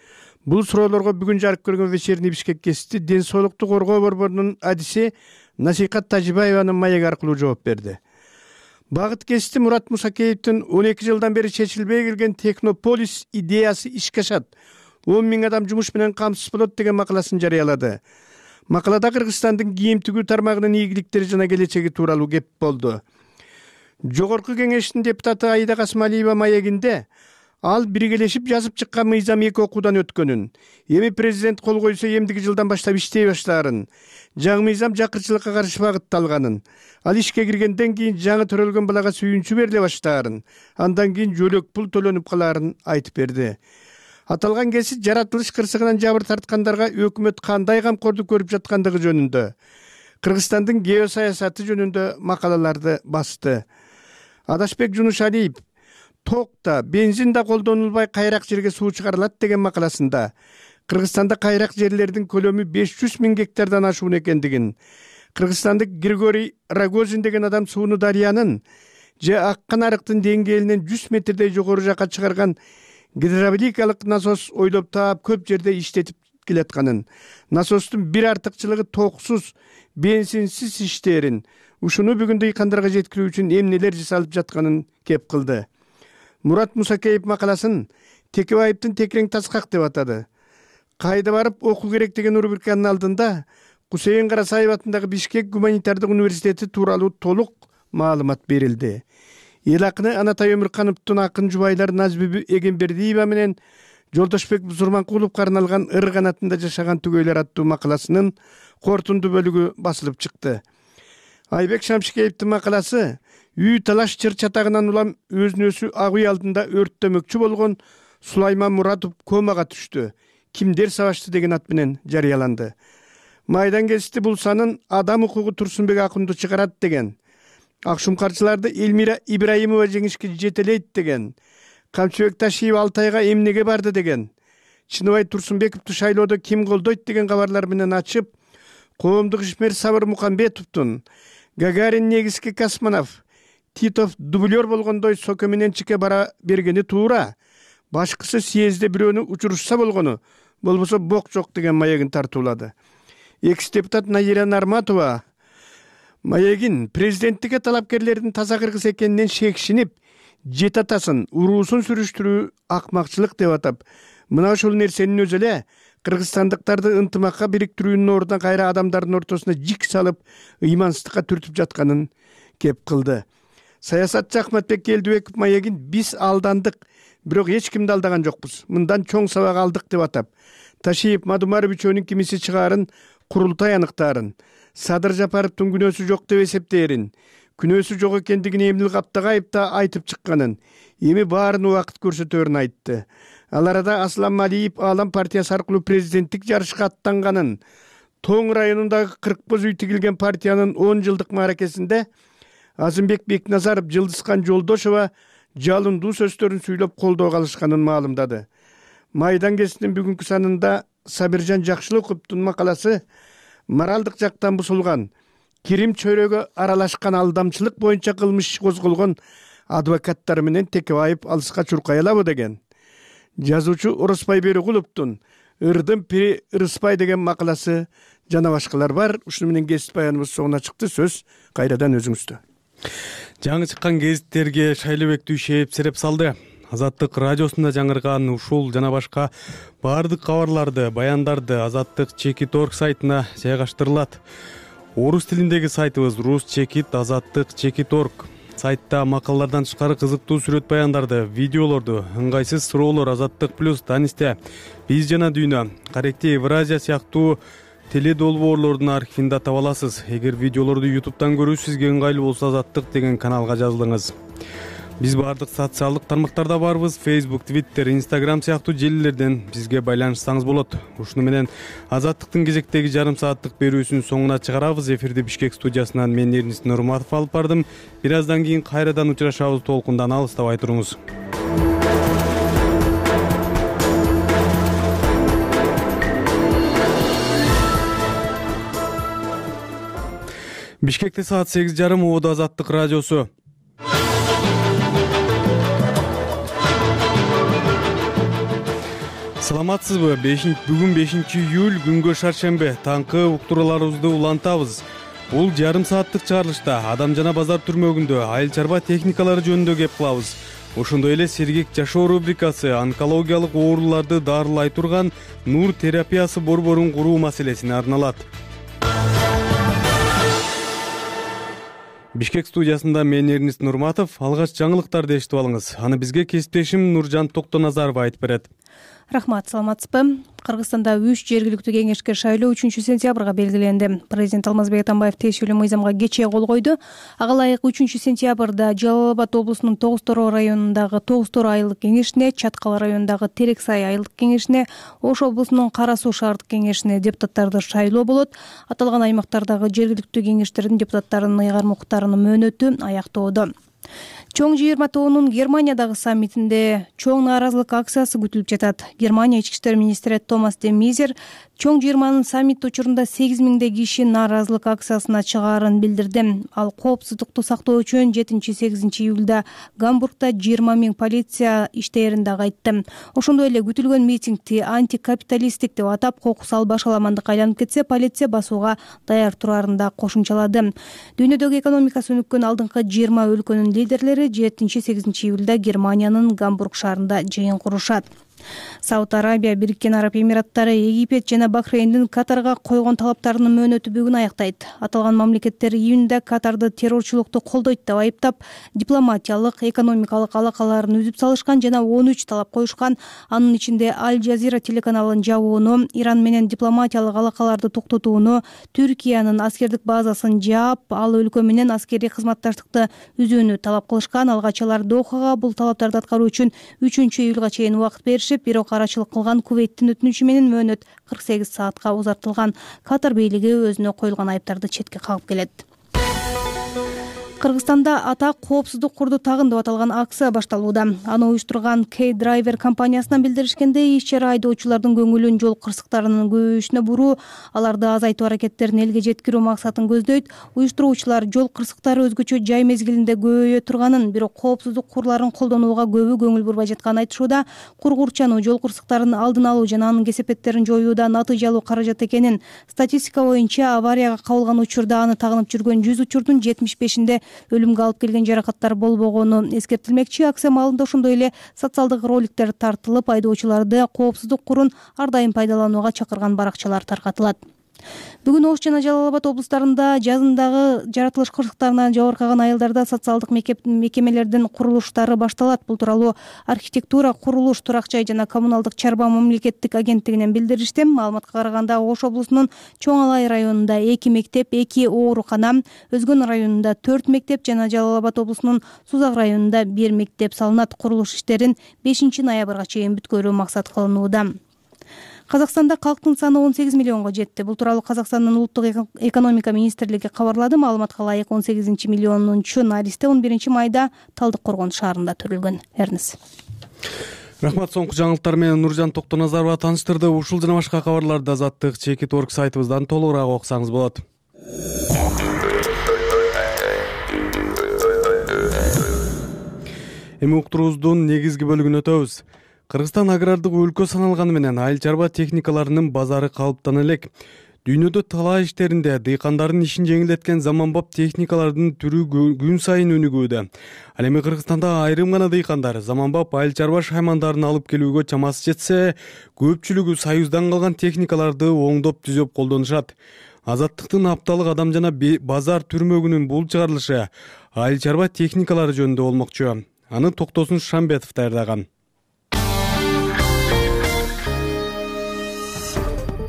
S12: Бул суроолорго бүгүн жарык көргөн вечерний Бишкек гезити Ден соолукту коргоо борборунун адиси Насихат Тажибаеванын маек аркылуу жооп берди. Багыт гезити Мурат Мусакеевдин он эки жылдан бери чечилбей келген Технополис идеясы ишке ашат. он миң адам жумуш менен камсыз болот деген макаласын жарыялады. Макалада Кыргызстандын кийим тигүү тармагынын ийгиликтери жана келечеги тууралуу кеп болду. Жогорку кеңештин депутаты Аида Касымалиева маегинде ал биргелешип жазып чыккан мыйзам эки окуудан өткөнүн, эми президент кол койсо эмдиги жылдан баштап иштей баштаарын, жаңы мыйзам жакырчылыкка каршы багытталганын, ал ишке киргенден кийин жаңы төрөлгөн балага сүйүнчү бериле баштаарын, андан кийин жөлөк пул төлөнүп калаарын айтып берди. Аталган гезит жаратылыш кырсыгынан жабыр тарткандарга өкмөт кандай камкордук көрүп жаткандыгы жөнүндө, Кыргызстандын геосаясаты жөнүндө макалаларды басты. Адашбек Жунушалиев токта, бензин да колдонулбай кайрак жерге суу чыгарылат деген макаласында Кыргызстанда кайрак жерлердин көлөмү беш жүз миң гектардан ашуун экендигин, кыргызстандык Григорий Рогозин деген адам сууну дарыянын же аккан арыктын деңгээлинен жүз метрдей жогору жакка чыгарган гидравликалык насос ойлоп таап көп жерде иштетип келатканын, насостун бир артыкчылыгы токсуз, бензинсиз иштерин, ушуну бүгүн дыйкандарга жеткирүү үчүн эмнелер жасалып жатканын кеп кылды. Мурат Мусакеев макаласын Текебаевдин текерең таскак деп атады. Кайда барып окуу керек деген рубриканын алдында Кусейин Карасаев атындагы Бишкек гуманитардык университети тууралуу толук маалымат берилди. Эл акыны Анатай Өмүркановдун акын жубайлары Назбүбү Эгембердиева менен Жолдошбек Зурманкуловго арналган Ыр канатында жашаган түгөйлөр аттуу макаласынын кортунду бөлүгү басылып чыкты. Айбек Шамшикеевдин макаласы үй талаш чыр чатагынан улам өзүн өзү ак үй алдында өрттөмөкчү болгон Сулайман Муратов комага түштү. Кимдер сабашты деген ат менен жарыяланды. Майдан гезити бул санын адам укугу Турсунбек Акунду чыгарат деген. Акшумкарчыларды Элмира Ибраимова жеңишке жетелейт деген. Камчыбек Ташиев Алтайга эмнеге барды деген. Чыныбай Турсунбековду шайлоодо ким колдойт деген кабарлар менен ачып, коомдук ишмер Сабыр Мукамбетовдун, Гагарин негизги космонавт, Титов дублер болгондой Соке менен чике бара бергени туура. Башкысы съезде бирөөнү учурушса болгону, болбосо бок жок деген маегин тартуулады. Экс-депутат Наира Нарматова маегин президенттикке талапкерлердин таза кыргыз экенинен шекшинип, жет атасын, уруусун сүрүштүрүү акмакчылык деп атап, мына ушул нерсенин өзү эле кыргызстандыктарды ынтымакка бириктирүүнүн ордуна кайра адамдардын ортосуна жик салып, ыймансыздыкка түртүп жатканын кеп кылды. Саясатчы Ахматбек Келдибеков маегин биз алдандык, бирок эч кимди алдаган жокпуз. Мындан чоң сабак алдык деп атап, Ташиев Мадумаров үчөөнүн кимиси чыгаарын курултай аныктаарын, Садыр Жапаровдун күнөөсү жок деп эсептээрин, күнөөсү жок экендигин Эмил Каптагаев да айтып чыкканын, эми баарын убакыт көрсөтөрүн айтты. Ал арада Аслан Малиев Аалам партиясы аркылуу президенттик жарышка аттанганын, Тоң районундагы кырк боз үй тигилген партиянын он жылдык мааракесинде Азымбек Бекназаров, Жылдызкан Жолдошова жалындуу сөздөрүн сүйлөп колдоого алышканын маалымдады. Майдан гезитинин бүгүнкү санында Сабиржан Жакшылыковдун макаласы моралдык жактан бузулган, кирим чөйрөгө аралашкан алдамчылык боюнча кылмыш козголгон адвокаттар менен Текебаев алыска чуркай алабы деген. Жазуучу Ороспай Берикуловдун Ырдын пири Ырыспай деген макаласы жана башкалар бар. Ушуну менен гезит баяныбыз соңуна чыкты. Сөз кайрадан өзүңүздө.
S1: Жаңы чыккан гезиттерге Шайлыбек Дүйшеев сереп салды. Азаттык радиосунда жаңырган ушул жана башка баардык кабарларды, баяндарды Азаттык чекит орг сайтына жайгаштырылат. Орус тилиндеги сайтыбыз рус чекит азаттык чекит орг. Сайтта макалалардан тышкары кызыктуу сүрөт баяндарды, видеолорду, ыңгайсыз суроолор Азаттык плюс Танисте, Биз жана дүйнө, Каректи Евразия сыяктуу теледолбоорлордун архивинде таба аласыз. Эгер видеолорду ютубтан көрүү сизге ыңгайлуу болсо Азаттык деген каналга жазылыңыз. Биз баардык социалдык тармактарда барбыз. Facebook, Twitter, Instagram сыяктуу желилерден бизге байланышсаңыз болот. Ушуну менен Азаттыктын кезектеги жарым сааттык берүүсүнүн соңуна чыгарабыз. Эфирди Бишкек студиясынан мен Эрнис Нурматов алып бардым. Бир аздан кийин кайрадан учурашабыз. Толкундан алыстабай туруңуз. Бишкекте саат сегиз жарым, Ободо Азаттык радиосу. Саламатсызбы? Бүгүн бешинчи июль, күнгө шаршембе. Таңкы уктурууларыбызды улантабыз. Бул жарым сааттык чыгарылышта адам жана базар түрмөгүндө айыл чарба техникалары жөнүндө кеп кылабыз. Ошондой эле сергек жашоо рубрикасы онкологиялык ооруларды дарылай турган нур терапиясы борборун куруу маселесине арналат. Бишкек студиясында мен Эрнис Нурматов. Алгач жаңылыктарды эшитип алыңыз. Аны бизге кесиптешим Нуржан Токтоназарова айтып берет.
S4: Рахмат, саламатсызбы? Кыргызстанда үч жергиликтүү кеңешке шайлоо үчүнчү сентябрга белгиленди. Президент Алмазбек Атамбаев тиешелүү мыйзамга кечээ кол койду. Ага ылайык үчүнчү сентябрда Жалал Абад облусунун Тогуз Тороо районундагы Тогуз Тороо айылдык кеңешине, Чаткал районундагы Терек Сай айылдык кеңешине, Ош облусунун Кара Суу шаардык кеңешине депутаттарды шайлоо болот. Аталган аймактардагы жергиликтүү кеңештердин депутаттарынын ыйгарым укуктарынын мөөнөтү аяктоодо. Чоң жыйырма тобунун Германиядагы саммитинде чоң нааразылык акциясы күтүлүп жатат. Германия ички иштер министри Томас де Мейзер чоң жыйырманын саммити учурунда сегиз миңдей киши нааразылык акциясына чыгаарын билдирди. Ал коопсуздукту сактоо үчүн жетинчи сегизинчи июлда Гамбургда жыйырма миң полиция иштээрин дагы айтты. Ошондой эле күтүлгөн митингди антикапиталисттик деп атап, кокус албаш аламандыкка айланып кетсе, полиция басууга даяр турарын да кошумчалады. Дүйнөдөгү экономикасы өнүккөн алдыңкы жыйырма өлкөнүн лидерлери жетинчи сегизинчи июлда Германиянын Гамбург шаарында жыйын курушат. Сауд Арабия, Бириккен Араб Эмираттары, Египет жана Бахрейндин Катарга койгон талаптарынын мөөнөтү бүгүн аяктайт. Аталган мамлекеттер июнда Катарды террорчулукту колдойт деп айыптап, дипломатиялык, экономикалык алакаларын үзүп салышкан жана он үч талап коюшкан. Анын ичинде Аль Жазира телеканалын жабууну, Иран менен дипломатиялык алакаларды токтотууну, Түркиянын аскердик базасын жаап, ал өлкө менен аскерий кызматташтыкты үзүүнү талап кылышкан. Алгач алар Дохага бул талаптарды аткаруу үчүн үчүнчү июлга чейин убакыт беришип, бирок карачылык кылган Кувейттин өтүнүчү менен мөөнөт кырк сегиз саатка узартылган. Катар бийлиги өзүнө коюлган айыптарды четке кагып келет. Кыргызстанда ата коопсуздук курду тагын деп аталган акция башталууда. Аны уюштурган K-Driver компаниясынан билдиришкендей, иш-чара айдоочулардын көңүлүн жол кырсыктарынын көбөйүшүнө буруу, аларды азайтуу аракеттерин элге жеткирүү максатын көздөйт. Уюштуруучулар жол кырсыктары өзгөчө жай мезгилинде көбөйө турганын, бирок коопсуздук курларын колдонууга көбү көңүл бурбай жатканын айтышууда. Кургурчануу жол кырсыктарын алдын алуу жана анын кесепеттерин жоюуда натыйжалуу каражат экенин, статистика боюнча аварияга кабылган учурда аны тагынып жүргөн жүз учурдун жетимиш бешинде өлүмгө алып келген жаракаттар болбогону эскертилмекчи. Акция маалында ошондой эле социалдык роликтер тартылып, айдоочуларды коопсуздук курун ар дайым пайдаланууга чакырган баракчалар таркатылат. Бүгүн Ош жана Жалал Абад облустарында жазындагы жаратылыш кырсыктарынан жабыркаган айылдарда социалдык мекемелердин курулуштары башталат. Бул тууралуу архитектура, курулуш, турак жай жана коммуналдык чарба мамлекеттик агенттигинен билдиришти. Маалыматка караганда, Ош облусунун Чоң Алай районунда эки мектеп, эки оорукана, Өзгөн районунда төрт мектеп жана Жалал Абад облусунун Сузак районунда бир мектеп салынат. Курулуш иштерин бешинчи ноябрга чейин бүткөрүү максат кылынууда. Казакстанда калктын саны он сегиз миллионго жетти. Бул тууралуу Казакстандын улуттук экономика министрлиги кабарлады. Маалыматка ылайык он сегизинчи миллионунчу наристе он биринчи майда Талдык Коргон шаарында төрөлгөн. Эрнис.
S1: Рахмат, соңку жаңылыктар менен Нуржан Токтоназарова тааныштырды. Ушул жана башка кабарларды Азаттык чекит орг сайтыбыздан толугураак окусаңыз болот. Эми уктуруубуздун негизги бөлүгүнө өтөбүз. Кыргызстан агрардык өлкө саналганы менен айыл чарба техникаларынын базары калыптана элек. Дүйнөдө талаа иштеринде дыйкандардын ишин жеңилдеткен заманбап техникалардын түрү күн сайын өнүгүүдө. Ал эми Кыргызстанда айрым гана дыйкандар заманбап айыл чарба шаймандарын алып келүүгө чамасы жетсе, көпчүлүгү союздан калган техникаларды оңдоп түзөп колдонушат. Азаттыктын апталык адам жана базар түрмөгүнүн бул чыгарылышы айыл чарба техникалары жөнүндө болмокчу. Аны Токтосун Шамбетов даярдаган.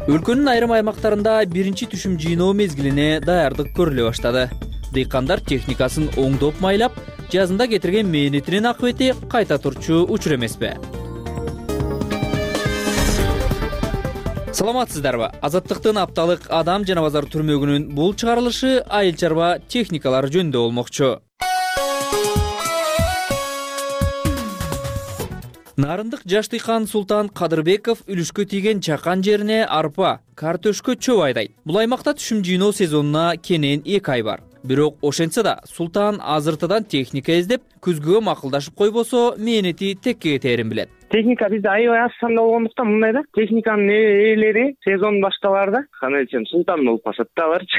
S13: Өлкөнүн айрым аймактарында биринчи түшүм жыйноо мезгилине даярдык көрүлө баштады. Дыйкандар техникасын оңдоп майлап, жазында кетирген мээнетинин акыбети кайта турчу учур эмеспи? Саламатсыздарбы? Азаттыктын апталык адам жана базар түрмөгүнүн бул чыгарылышы айыл чарба техникалары жөнүндө болмокчу. Нарындык жаш дыйкан Султан Кадырбеков үлүшкө тийген чакан жерине арпа, картөшкө чөп айдайт. Бул аймакта түшүм жыйноо сезонуна кенен эки ай бар. Бирок ошентсе да Султан азыртадан техника издеп, күзгүгө макулдашып койбосо, мээнети текке кетээрин билет.
S14: Техника бизде аябай аз санда болгондуктан мындай да, техниканын ээлери сезон башталаарда кандай десем Султан болуп калышат да аларчы.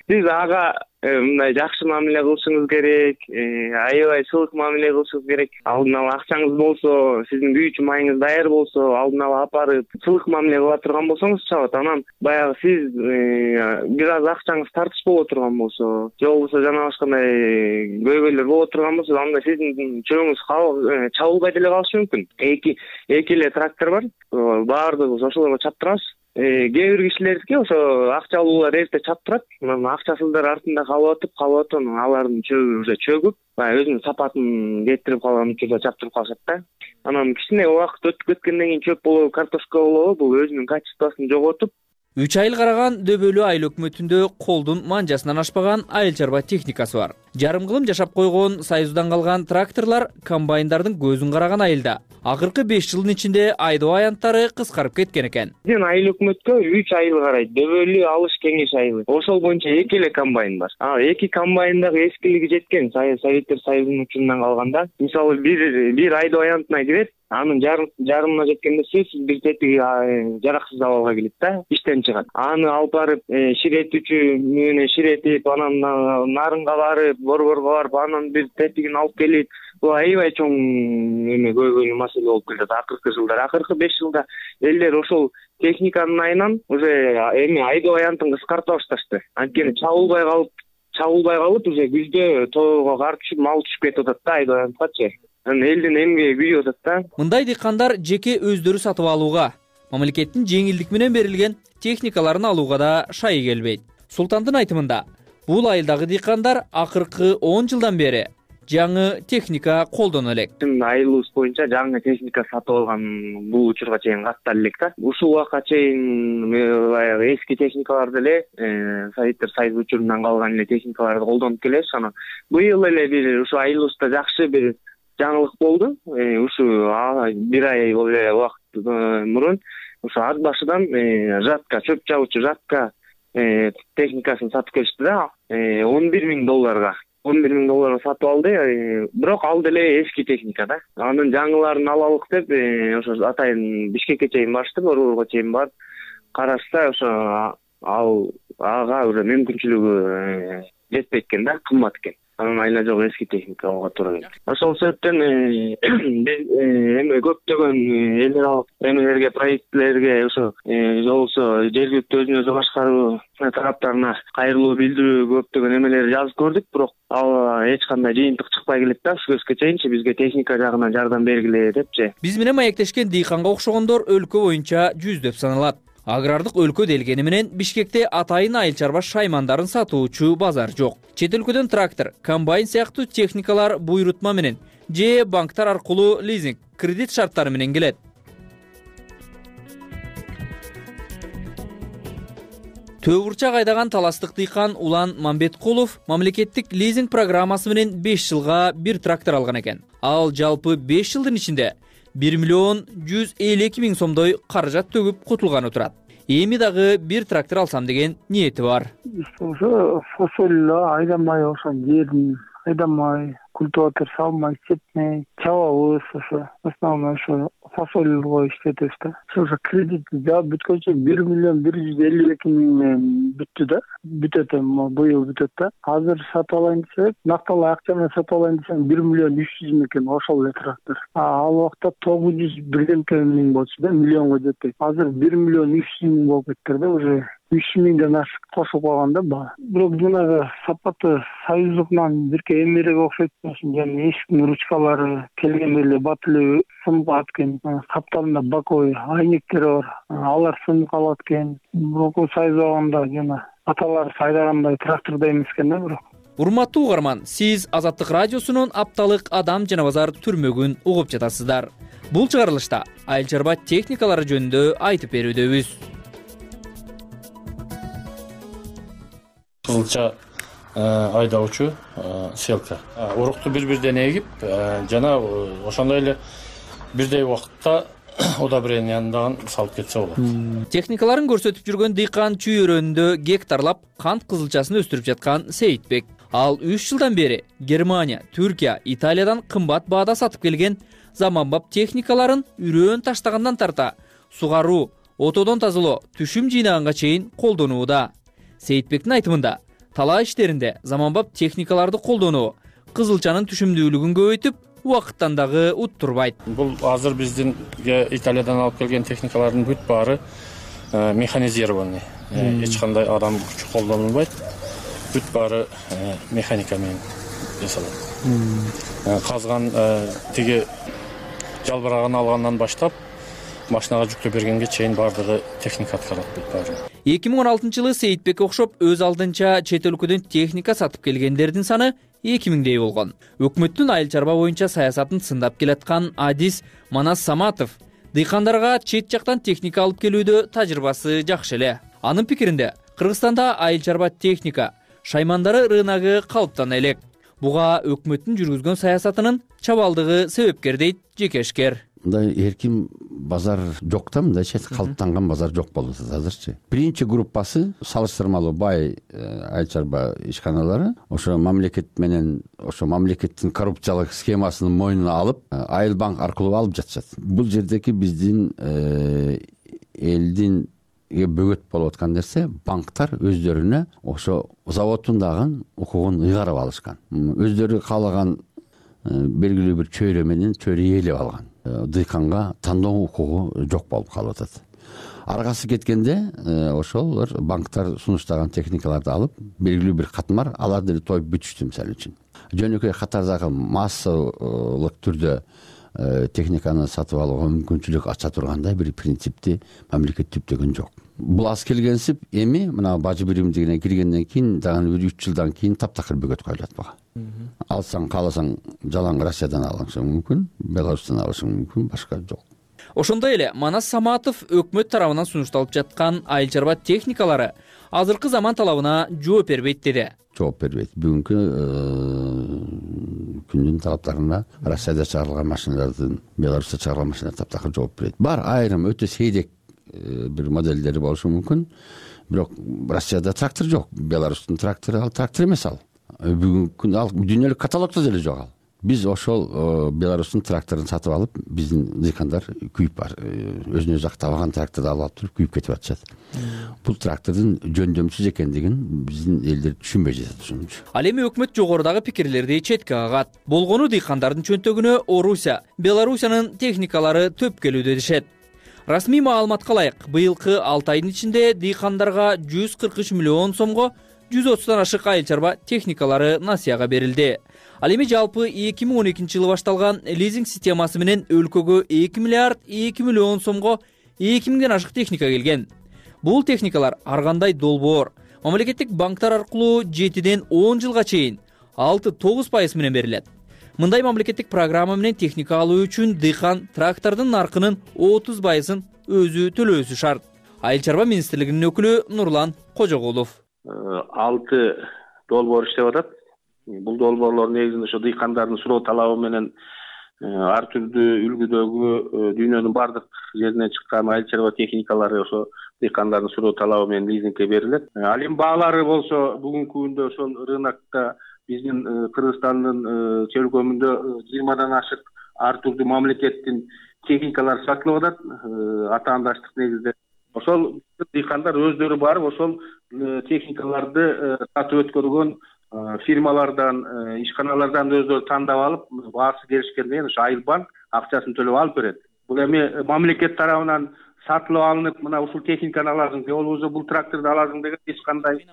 S14: Биз ага мындай жакшы мамиле кылышыңыз керек, аябай сылык мамиле кылышыңыз керек. Алдын ала акчаңыз болсо, сиздин күйүүчү майыңыз даяр болсо, алдын ала апарып сылык мамиле кыла турган болсоңуз чабат. Анан баягы сиз бир аз акчаңыз тартыш боло турган болсо, же болбосо жана башкандай көйгөйлөр боло турган болсо, анда сиздин чөбүңүз чабылбай деле калышы мүмкүн. Эки эки эле трактор бар, баардыгыбыз ошолорго чаптырабыз. Кээ бир кишилердики ошо акчалуулар эрте чаптырат, анан акчасыздар артында калып атып, калып атып, анан алардын чөбү уже чөгүп, баягы өзүнүн сапатын кетирип калган учурда чаптырып калышат да. Анан кичине убакыт өтүп кеткенден кийин чөп болобу, картошка болобу, бул өзүнүн качествосын жоготуп,
S13: үч айыл караган дөбөлүү айыл өкмөтүндө колдун манжасынан ашпаган айыл чарба техникасы бар. Жарым кылым жашап койгон союздан калган тракторлор комбайндардын көзүн караган айылда. Акыркы беш жылдын ичинде айдоо аянттары кыскарып кеткен экен.
S14: Биздин айыл өкмөткө үч айыл карайт. Дөбөлүү Алыш Кеңеш айылы. Ошол боюнча эки эле комбайн бар. А эки комбайн дагы эскилиги жеткен, Советтер Союзунун учурунан калганда. Мисалы бир бир айдоо аянтына кирет, анын жарымына жеткенде сөзсүз бир тетиги жараксыз абалга келет да, иштен чыгат. Аны алып барып ширетүүчү менен ширетип, анан нарынга барып, борборго барып, анан бир тетигин алып келип, бул аябай чоң эме көйгөйлүү маселе болуп келет акыркы жылдар. Акыркы беш жылда элдер ошол техниканын айынан уже эми айдоо аянтын кыскарта башташты. Анткени чабылбай калып, чабылбай калып уже күздө тоого кар түшүп, мал түшүп кетип атат да айдоо аянткачы. Элдин эмгеги күйүп атат да.
S13: Мындай дыйкандар жеке өздөрү сатып алууга, мамлекеттин жеңилдик менен берилген техникаларын алууга да шайы келбейт. Султандын айтымында, бул айылдагы дыйкандар акыркы он жылдан бери жаңы техника колдоно элек.
S14: Айылыбыз боюнча жаңы техника сатып алган бул учурга чейин каттар элек да. Ушул убакка чейин баягы эски техникаларды эле, Советтер Союзу учурунан калган эле техникаларды колдонуп келебиз. Анан быйыл эле бир ушу айылыбызда жакшы бир жаңылык болду. Ушу бир ай эле убакыт мурун ушу ат башыдан жатка, чөп чабуучу жатка техникасын сатып келишти да, он бир миң долларга. он бир миң долларга сатып алды, бирок ал деле эски техника да. Анын жаңыларын алалык деп, ошо атайын Бишкекке чейин барышты, борборго чейин барып карашса, ошо ал ага уже мүмкүнчүлүгү жетпейт экен да, кымбат экен. Анын айла жок эски техника алууга туура келет. Ошол себептен биз эми көптөгөн элдер алып эмелерге, проектлерге, ошо же болбосо жергиликтүү өзүн өзү башкаруу тараптарына кайрылуу билдирүү көптөгөн эмелер жазып көрдүк, бирок ал эч кандай жыйынтык чыкпай келет да. Ушул көзгө чейинчи бизге техника жагынан жардам бергиле депчи.
S13: Биз менен маектешкен дыйканга окшогондор өлкө боюнча жүздөп саналат. Агрардык өлкө делгени менен Бишкекте атайын айыл чарба шаймандарын сатуучу базар жок. Чет өлкөдөн трактор, комбайн сыяктуу техникалар буйрутма менен же банктар аркылуу лизинг, кредит шарттары менен келет. Төө бурчак айдаган таластык дыйкан Улан Мамбеткулов мамлекеттик лизинг программасы менен беш жылга бир трактор алган экен. Ал жалпы беш жылдын ичинде бир миллион жүз элүү эки миң сомдой каражат төгүп кутулганы турат. Эми дагы бир трактор алсам деген ниети бар.
S15: Ошо фасоль айдамай, ошо жерин айдамай, культиватор салмай, сепмей, чабабыз ошо. Основной ошо фасольго иштетебиз да. Ошо кредит жаап бүткөнчө бир миллион бир жүз элүү эки миң менен бүттү да. Бүтөт эми быйыл бүтөт да. Азыр сатып алайын десек, накталуу акча менен сатып алайын десем бир миллион үч жүз миң экен ошол эле трактор. Ал убакта тогуз жүз бирденке миң болчу да, миллионго жетпей. Азыр бир миллион үч жүз миң болуп кетти да, уже үч миңден ашык кошуп калган да баа. Бирок жанагы сапаты союздукунан бирке эмерээк окшойт. Жана эшиктин ручкалары келгенде эле бат эле сынып калат экен. Каптарында баковый айнектери бар. Алар сынып калат экен. Бирок союзда жана аталар сайдагандай трактордой эмес экен да бирок.
S13: Урматтуу угарман, сиз Азаттык радиосунун апталык адам жана базар түрмөгүн угуп жатасыздар. Бул чыгарылышта айыл чарба техникалары жөнүндө айтып берүүдөбүз.
S16: Кызылча айдоочу селка. Урукту бири-бирден эгип, жана ошондой эле бирдей убакытта удобренияны дагы салып кетсе болот.
S13: Техникаларын көрсөтүп жүргөн дыйкан чүйөрөндө гектарлап кант кызылчасын өстүрүп жаткан Сейитбек. Ал үч жылдан бери Германия, Түркия, Италиядан кымбат баада сатып келген заманбап техникаларын үрөөн таштагандан тарта сугаруу, отодон тазалоо, түшүм жыйнаганга чейин колдонууда. Сейитбектин айтымында, талаа иштеринде заманбап техникаларды колдонуу кызылчанын түшүмдүүлүгүн көбөйтүп, убакыттан дагы уттурбайт.
S16: Бул азыр биздин Италиядан алып келген техникалардын бүт баары механизированный. Эч кандай адам күчү колдонулбайт. Бүт баары механика менен жасалат. Казган тиги жалбырагын алгандан баштап машинага жүктөп бергенге чейин баардыгы техника аткарат бүт баары.
S13: эки миң он алтынчы жылы Сейитбекке окшоп өз алдынча чет өлкөдөн техника сатып келгендердин саны эки миңдей болгон. Өкмөттүн айыл чарба боюнча саясатын сындап келаткан Адис Манас Саматов дыйкандарга чет жактан техника алып келүүдө тажрыйбасы жакшы эле. Анын пикиринде, Кыргызстанда айыл чарба техника шаймандары рыногу калыптана элек. Буга өкмөттүн жүргүзгөн саясатынын чабалдыгы себепкер дейт жекешкер.
S17: Мындай эркин базар жок да, мындайча калыптанган базар жок болуп атат азырчы. Биринчи группасы салыштырмалуу бай айыл чарба ишканалары ошо мамлекет менен ошо мамлекеттин коррупциялык схемасын мойнуна алып, айыл банк аркылуу алып жатышат. Бул жердеги биздин элдин бөгөт болуп аткан нерсе, банктар өздөрүнө ошо заводдун дагы укугун ыйгарып алышкан. Өздөрү каалаган белгилүү бир чөйрө менен чөйрө ээлеп алган. Дыйканга тандоо укугу жок болуп калып атат. Аргасы кеткенде ошолор банктар сунуштаган техникаларды алып, белгилүү бир катмар алар деле тоюп бүтүштү мисалы үчүн. Жөнөкөй катардагы массалык түрдө техниканы сатып алууга мүмкүнчүлүк ача тургандай бир принципти мамлекет түптөгөн жок. Бул аз келгенсип эми мына бажы биримдигине киргенден кийин дагы бир үч жылдан кийин таптакыр бөгөт коюлат буга. Алсаң кааласаң жалаң Россиядан алышың мүмкүн, Беларустан алышың мүмкүн, башка жок.
S13: Ошондой эле Манас Саматов өкмөт тарабынан сунушталып жаткан айыл чарба техникалары азыркы заман талабына жооп бербейт деди.
S17: Жооп бербейт. Бүгүнкү күндүн талаптарына Россияда чыгарылган машиналардын, Беларусьта чыгарылган машиналар таптакыр жооп берет. Бар айрым өтө сейдек бир моделдери болушу мүмкүн. Бирок Россияда трактор жок. Беларустун трактору ал трактор эмес ал. Бүгүнкү ал дүйнөлүк каталогдо деле жок ал. Биз ошол Беларустун тракторун сатып алып, биздин дыйкандар күйүп бар. Өзүнө өзү актабаган тракторду алып туруп күйүп кетип атышат. Бул трактордун жөндөмсүз экендигин биздин элдер түшүнбөй жатат ошончу.
S13: Ал эми өкмөт жогорудагы пикирлерди четке кагат. Болгону дыйкандардын чөнтөгүнө Орусия, Белоруссиянын техникалары төп келүүдө дешет. Расмий маалыматка ылайык, быйылкы алты айдын ичинде дыйкандарга жүз кырк үч миллион сомго жүз отуздан ашык айыл чарба техникалары насыяга берилди. Ал эми жалпы эки миң он экинчи жылы башталган лизинг системасы менен өлкөгө эки миллиард эки миллион сомго эки миңден ашык техника келген. Бул техникалар ар кандай долбоор мамлекеттик банктар аркылуу жетиден он жылга чейин алты тогуз пайыз менен берилет. Мындай мамлекеттик программа менен техника алуу үчүн дыйкан трактордун наркынын отуз пайызын өзү төлөөсү шарт. Айыл чарба министрлигинин өкүлү Нурлан Кожогулов.
S18: алты долбоор иштеп атат. Бул долбоорлор негизинде ошо дыйкандардын суроо талабы менен ар түрдүү үлгүдөгү дүйнөнүн бардык жеринен чыккан айыл чарба техникалары ошо дыйкандардын суроо талабы менен лизингке берилет. Ал эми баалары болсо бүгүнкү күндө ошол рынокто биздин Кыргызстандын чөлкөмүндө жыйырмадан ашык ар түрдүү мамлекеттин техникалар сатылып атат атаандаштык негизде. Ошол дыйкандар өздөрү барып ошол техникаларды сатып өткөргөн фирмалардан, ишканалардан өздөрү тандап алып, баасы келишкенден ошо Айыл банк акчасын төлөп алып берет. Бул эми мамлекет тарабынан сатылып алынып, мына ушул техниканы аласың, же болбосо бул тракторду аласың деген эч кандай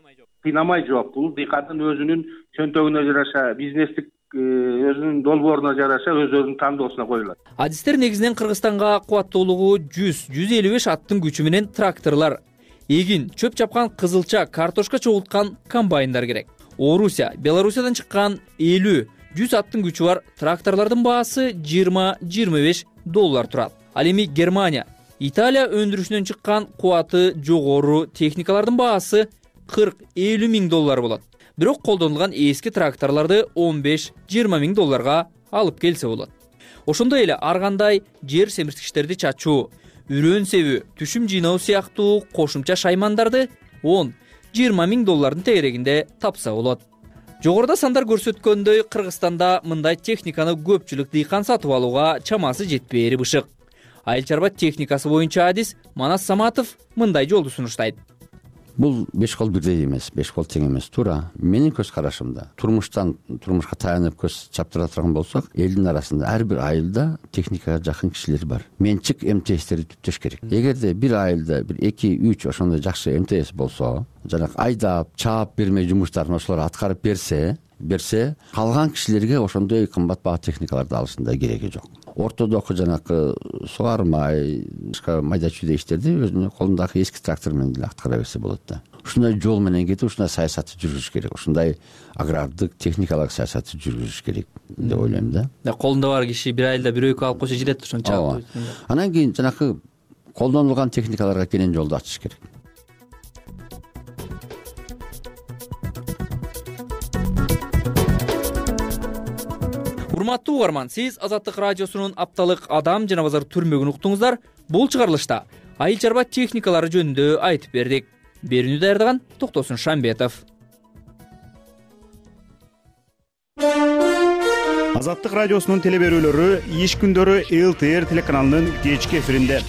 S18: кыйнамай жок. Бул дыйкандын өзүнүн чөнтөгүнө жараша, бизнестик өзүнүн долбооруна жараша өздөрүнүн тандоосуна коюлат.
S13: Адистер негизинен Кыргызстанга кубаттуулугу жүз жүз элүү беш аттын күчү менен тракторлор, эгин, чөп чапкан кызылча, картошка чогулткан комбайндар керек. Орусия, Белоруссиядан чыккан элүү жүз аттын күчү бар тракторлордун баасы жыйырма жыйырма беш доллар турат. Ал эми Германия, Италия өндүрүшүнөн чыккан кубаты жогору техникалардын баасы кырк элүү миң доллар болот. Бирок колдонулган эски тракторлорду он беш жыйырма миң долларга алып келсе болот. Ошондой эле ар кандай жер семирткичтерди чачуу, үрөн себүү, түшүм жыйноо сыяктуу кошумча шаймандарды он жыйырма миң доллардын тегерегинде тапса болот. Жогоруда сандар көрсөткөндөй, Кыргызстанда мындай техниканы көпчүлүк дыйкан сатып алууга чамасы жетпээри бышык. Айыл чарба техникасы боюнча адис Манас Саматов мындай жолду сунуштайт.
S17: Бул беш кол бирдей эмес, беш кол тең эмес. Туура менин көз карашымда турмуштан турмушка таянып көз чаптыра турган болсок, элдин арасында ар бир айылда техникага жакын кишилер бар. Менчик МТСтерди түптөш керек. Эгерде бир айылда бир эки үч ошондой жакшы МТС болсо, жанагы айдап, чаап берме жумуштарын ошолор аткарып берсе, берсе, калган кишилерге ошондой кымбат баа техникаларды алышында кереги жок. Ортодогу жанакы сугармай, башка майда чүйдө иштерди өзүнүн колундагы эски трактор менен деле аткара берсе болот да. Ушундай жол менен кетип, ушундай саясатты жүргүзүш керек. Ушундай агрардык, техникалык саясатты жүргүзүш керек деп ойлойм да.
S13: Колунда бар киши бир айылда бир экөө алып койсо жетет ошонча.
S17: Анан кийин жанакы колдонулган техникаларга кенен жолду ачыш керек.
S13: Урматтуу угарман, сиз Азаттык радиосунун апталык адам жана базар түрмөгүн уктуңуздар. Бул чыгарылышта айыл чарба техникалары жөнүндө айтып бердик. Берүүнү даярдаган Токтосун Шамбетов.
S11: Азаттык радиосунун телеберүүлөрү иш күндөрү эл тэ эр телеканалынын кечки эфиринде.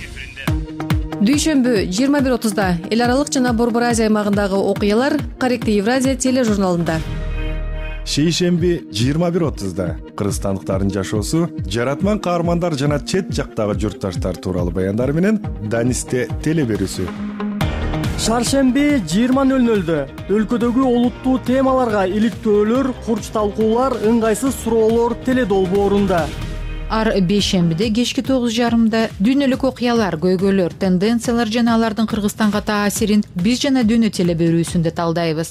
S19: Дүйшөмбү жыйырма бир отузда эл аралык жана Борбор Азия аймагындагы окуялар Корректив Евразия тележурналында.
S20: Шейшемби жыйырма бир отузда кыргызстандыктардын жашоосу, жаратман каармандар жана чет жактагы журтташтар тууралуу баяндар менен Данисте телеберүүсү.
S21: Шаршемби жыйырма нөл нөлдө өлкөдөгү олуттуу темаларга иликтөөлөр, курч талкуулар, ыңгайсыз суроолор теледолбоорунда.
S22: Ар бейшембиде кечки тогуз жарымда дүйнөлүк окуялар, көйгөйлөр, тенденциялар жана алардын Кыргызстанга таасирин биз жана дүйнө телеберүүсүндө талдайбыз.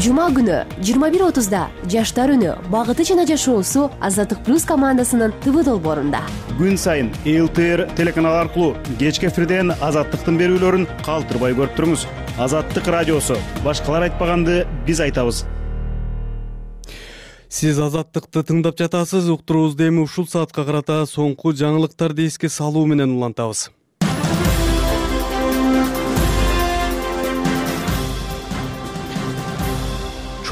S23: Жума күнү жыйырма бир отузда жаштар үнү, багыты жана жашоосу Азаттык плюс командасынын ТВ долбоорунда.
S11: Күн сайын эл тэ эр телеканалы аркылуу кечки эфирден Азаттыктын берүүлөрүн калтырбай көрүп туруңуз. Азаттык радиосу, башкалар айтпаганды биз айтабыз.
S1: Сиз Азаттыкты тыңдап жатасыз. Уктуруубузду эми ушул саатка карата соңку жаңылыктарды эске салуу менен улантабыз.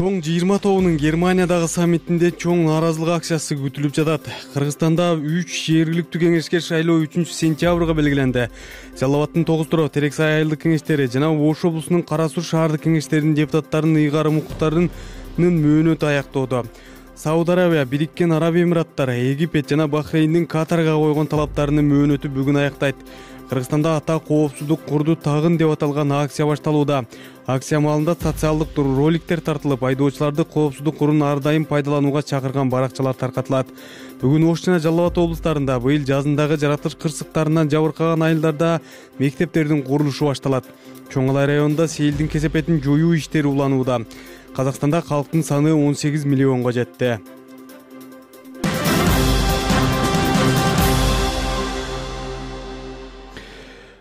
S1: Чоң жыйырма тобунун Германиядагы саммитинде чоң нааразылык акциясы күтүлүп жатат. Кыргызстанда үч жергиликтүү кеңешке шайлоо үчүнчү сентябрга белгиленди. Жалал Абадтын тогуз Турак, Терек Сай айылдык кеңештери жана Ош облусунун Кара Суу шаардык кеңештеринин депутаттарынын ыйгарым укуктарынын мөөнөтү аяктоодо. Сауд Арабия, Бириккен Араб Эмираттары, Египет жана Бахрейндин Катарга койгон талаптарынын мөөнөтү бүгүн аяктайт. Кыргызстанда ата коопсуздук курду тагын деп аталган акция башталууда. Акция маалында социалдык роликтер тартылып, айдоочуларды коопсуздук курун ар дайым пайдаланууга чакырган баракчалар таркатылат. Бүгүн Ош жана Жалал Абад облустарында быйыл жазындагы жаратылыш кырсыктарынан жабыркаган айылдарда мектептердин курулушу башталат. Чоң Алай районунда селдин кесепетин жоюу иштери уланууда. Казакстанда калктын саны он сегиз миллионго жетти.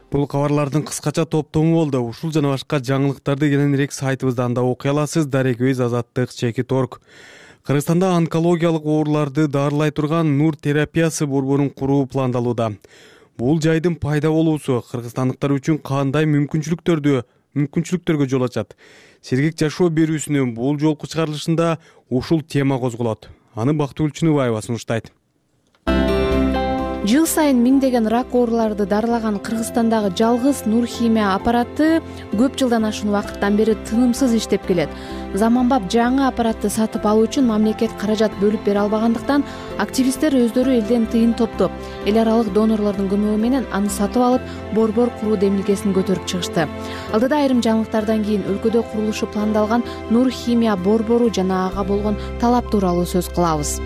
S1: Бул кабарлардын кыскача топтому болду. Ушул жана башка жаңылыктарды кененирээк сайтыбызда анда окуй аласыз. Дарекөз Азаттык чекит точка орг. Кыргызстанда онкологиялык ооруларды дарылай турган Нур терапиясы борборун куруу пландалууда. Бул жайдын пайда болуусу кыргызстандыктар үчүн кандай мүмкүнчүлүктөрдү мүмкүнчүлүктөргө жол ачат? Сергек жашоо берүүсүнүн бул жолку чыгарылышында ушул тема козголот. Аны Бактыгүл Чыныбаева сунуштайт.
S4: жыл сайын миңдеген рак ооруларды дарылаган Кыргызстандагы жалгыз Нур химия аппараты көп жылдан ашуун убакыттан бери тынымсыз иштеп келет. Заманбап жаңы аппаратты сатып алуу үчүн мамлекет каражат бөлүп бере албагандыктан активисттер өздөрү элден тыйын топтоп, эл аралык донорлордун көмөгү менен аны сатып алып, борбор куруу демилгесин көтөрүп чыгышты. Алдыда айрым жаңылыктардан кийин өлкөдө курулушу пландалган Нур химия борбору жана ага болгон талап тууралуу сөз кылабыз.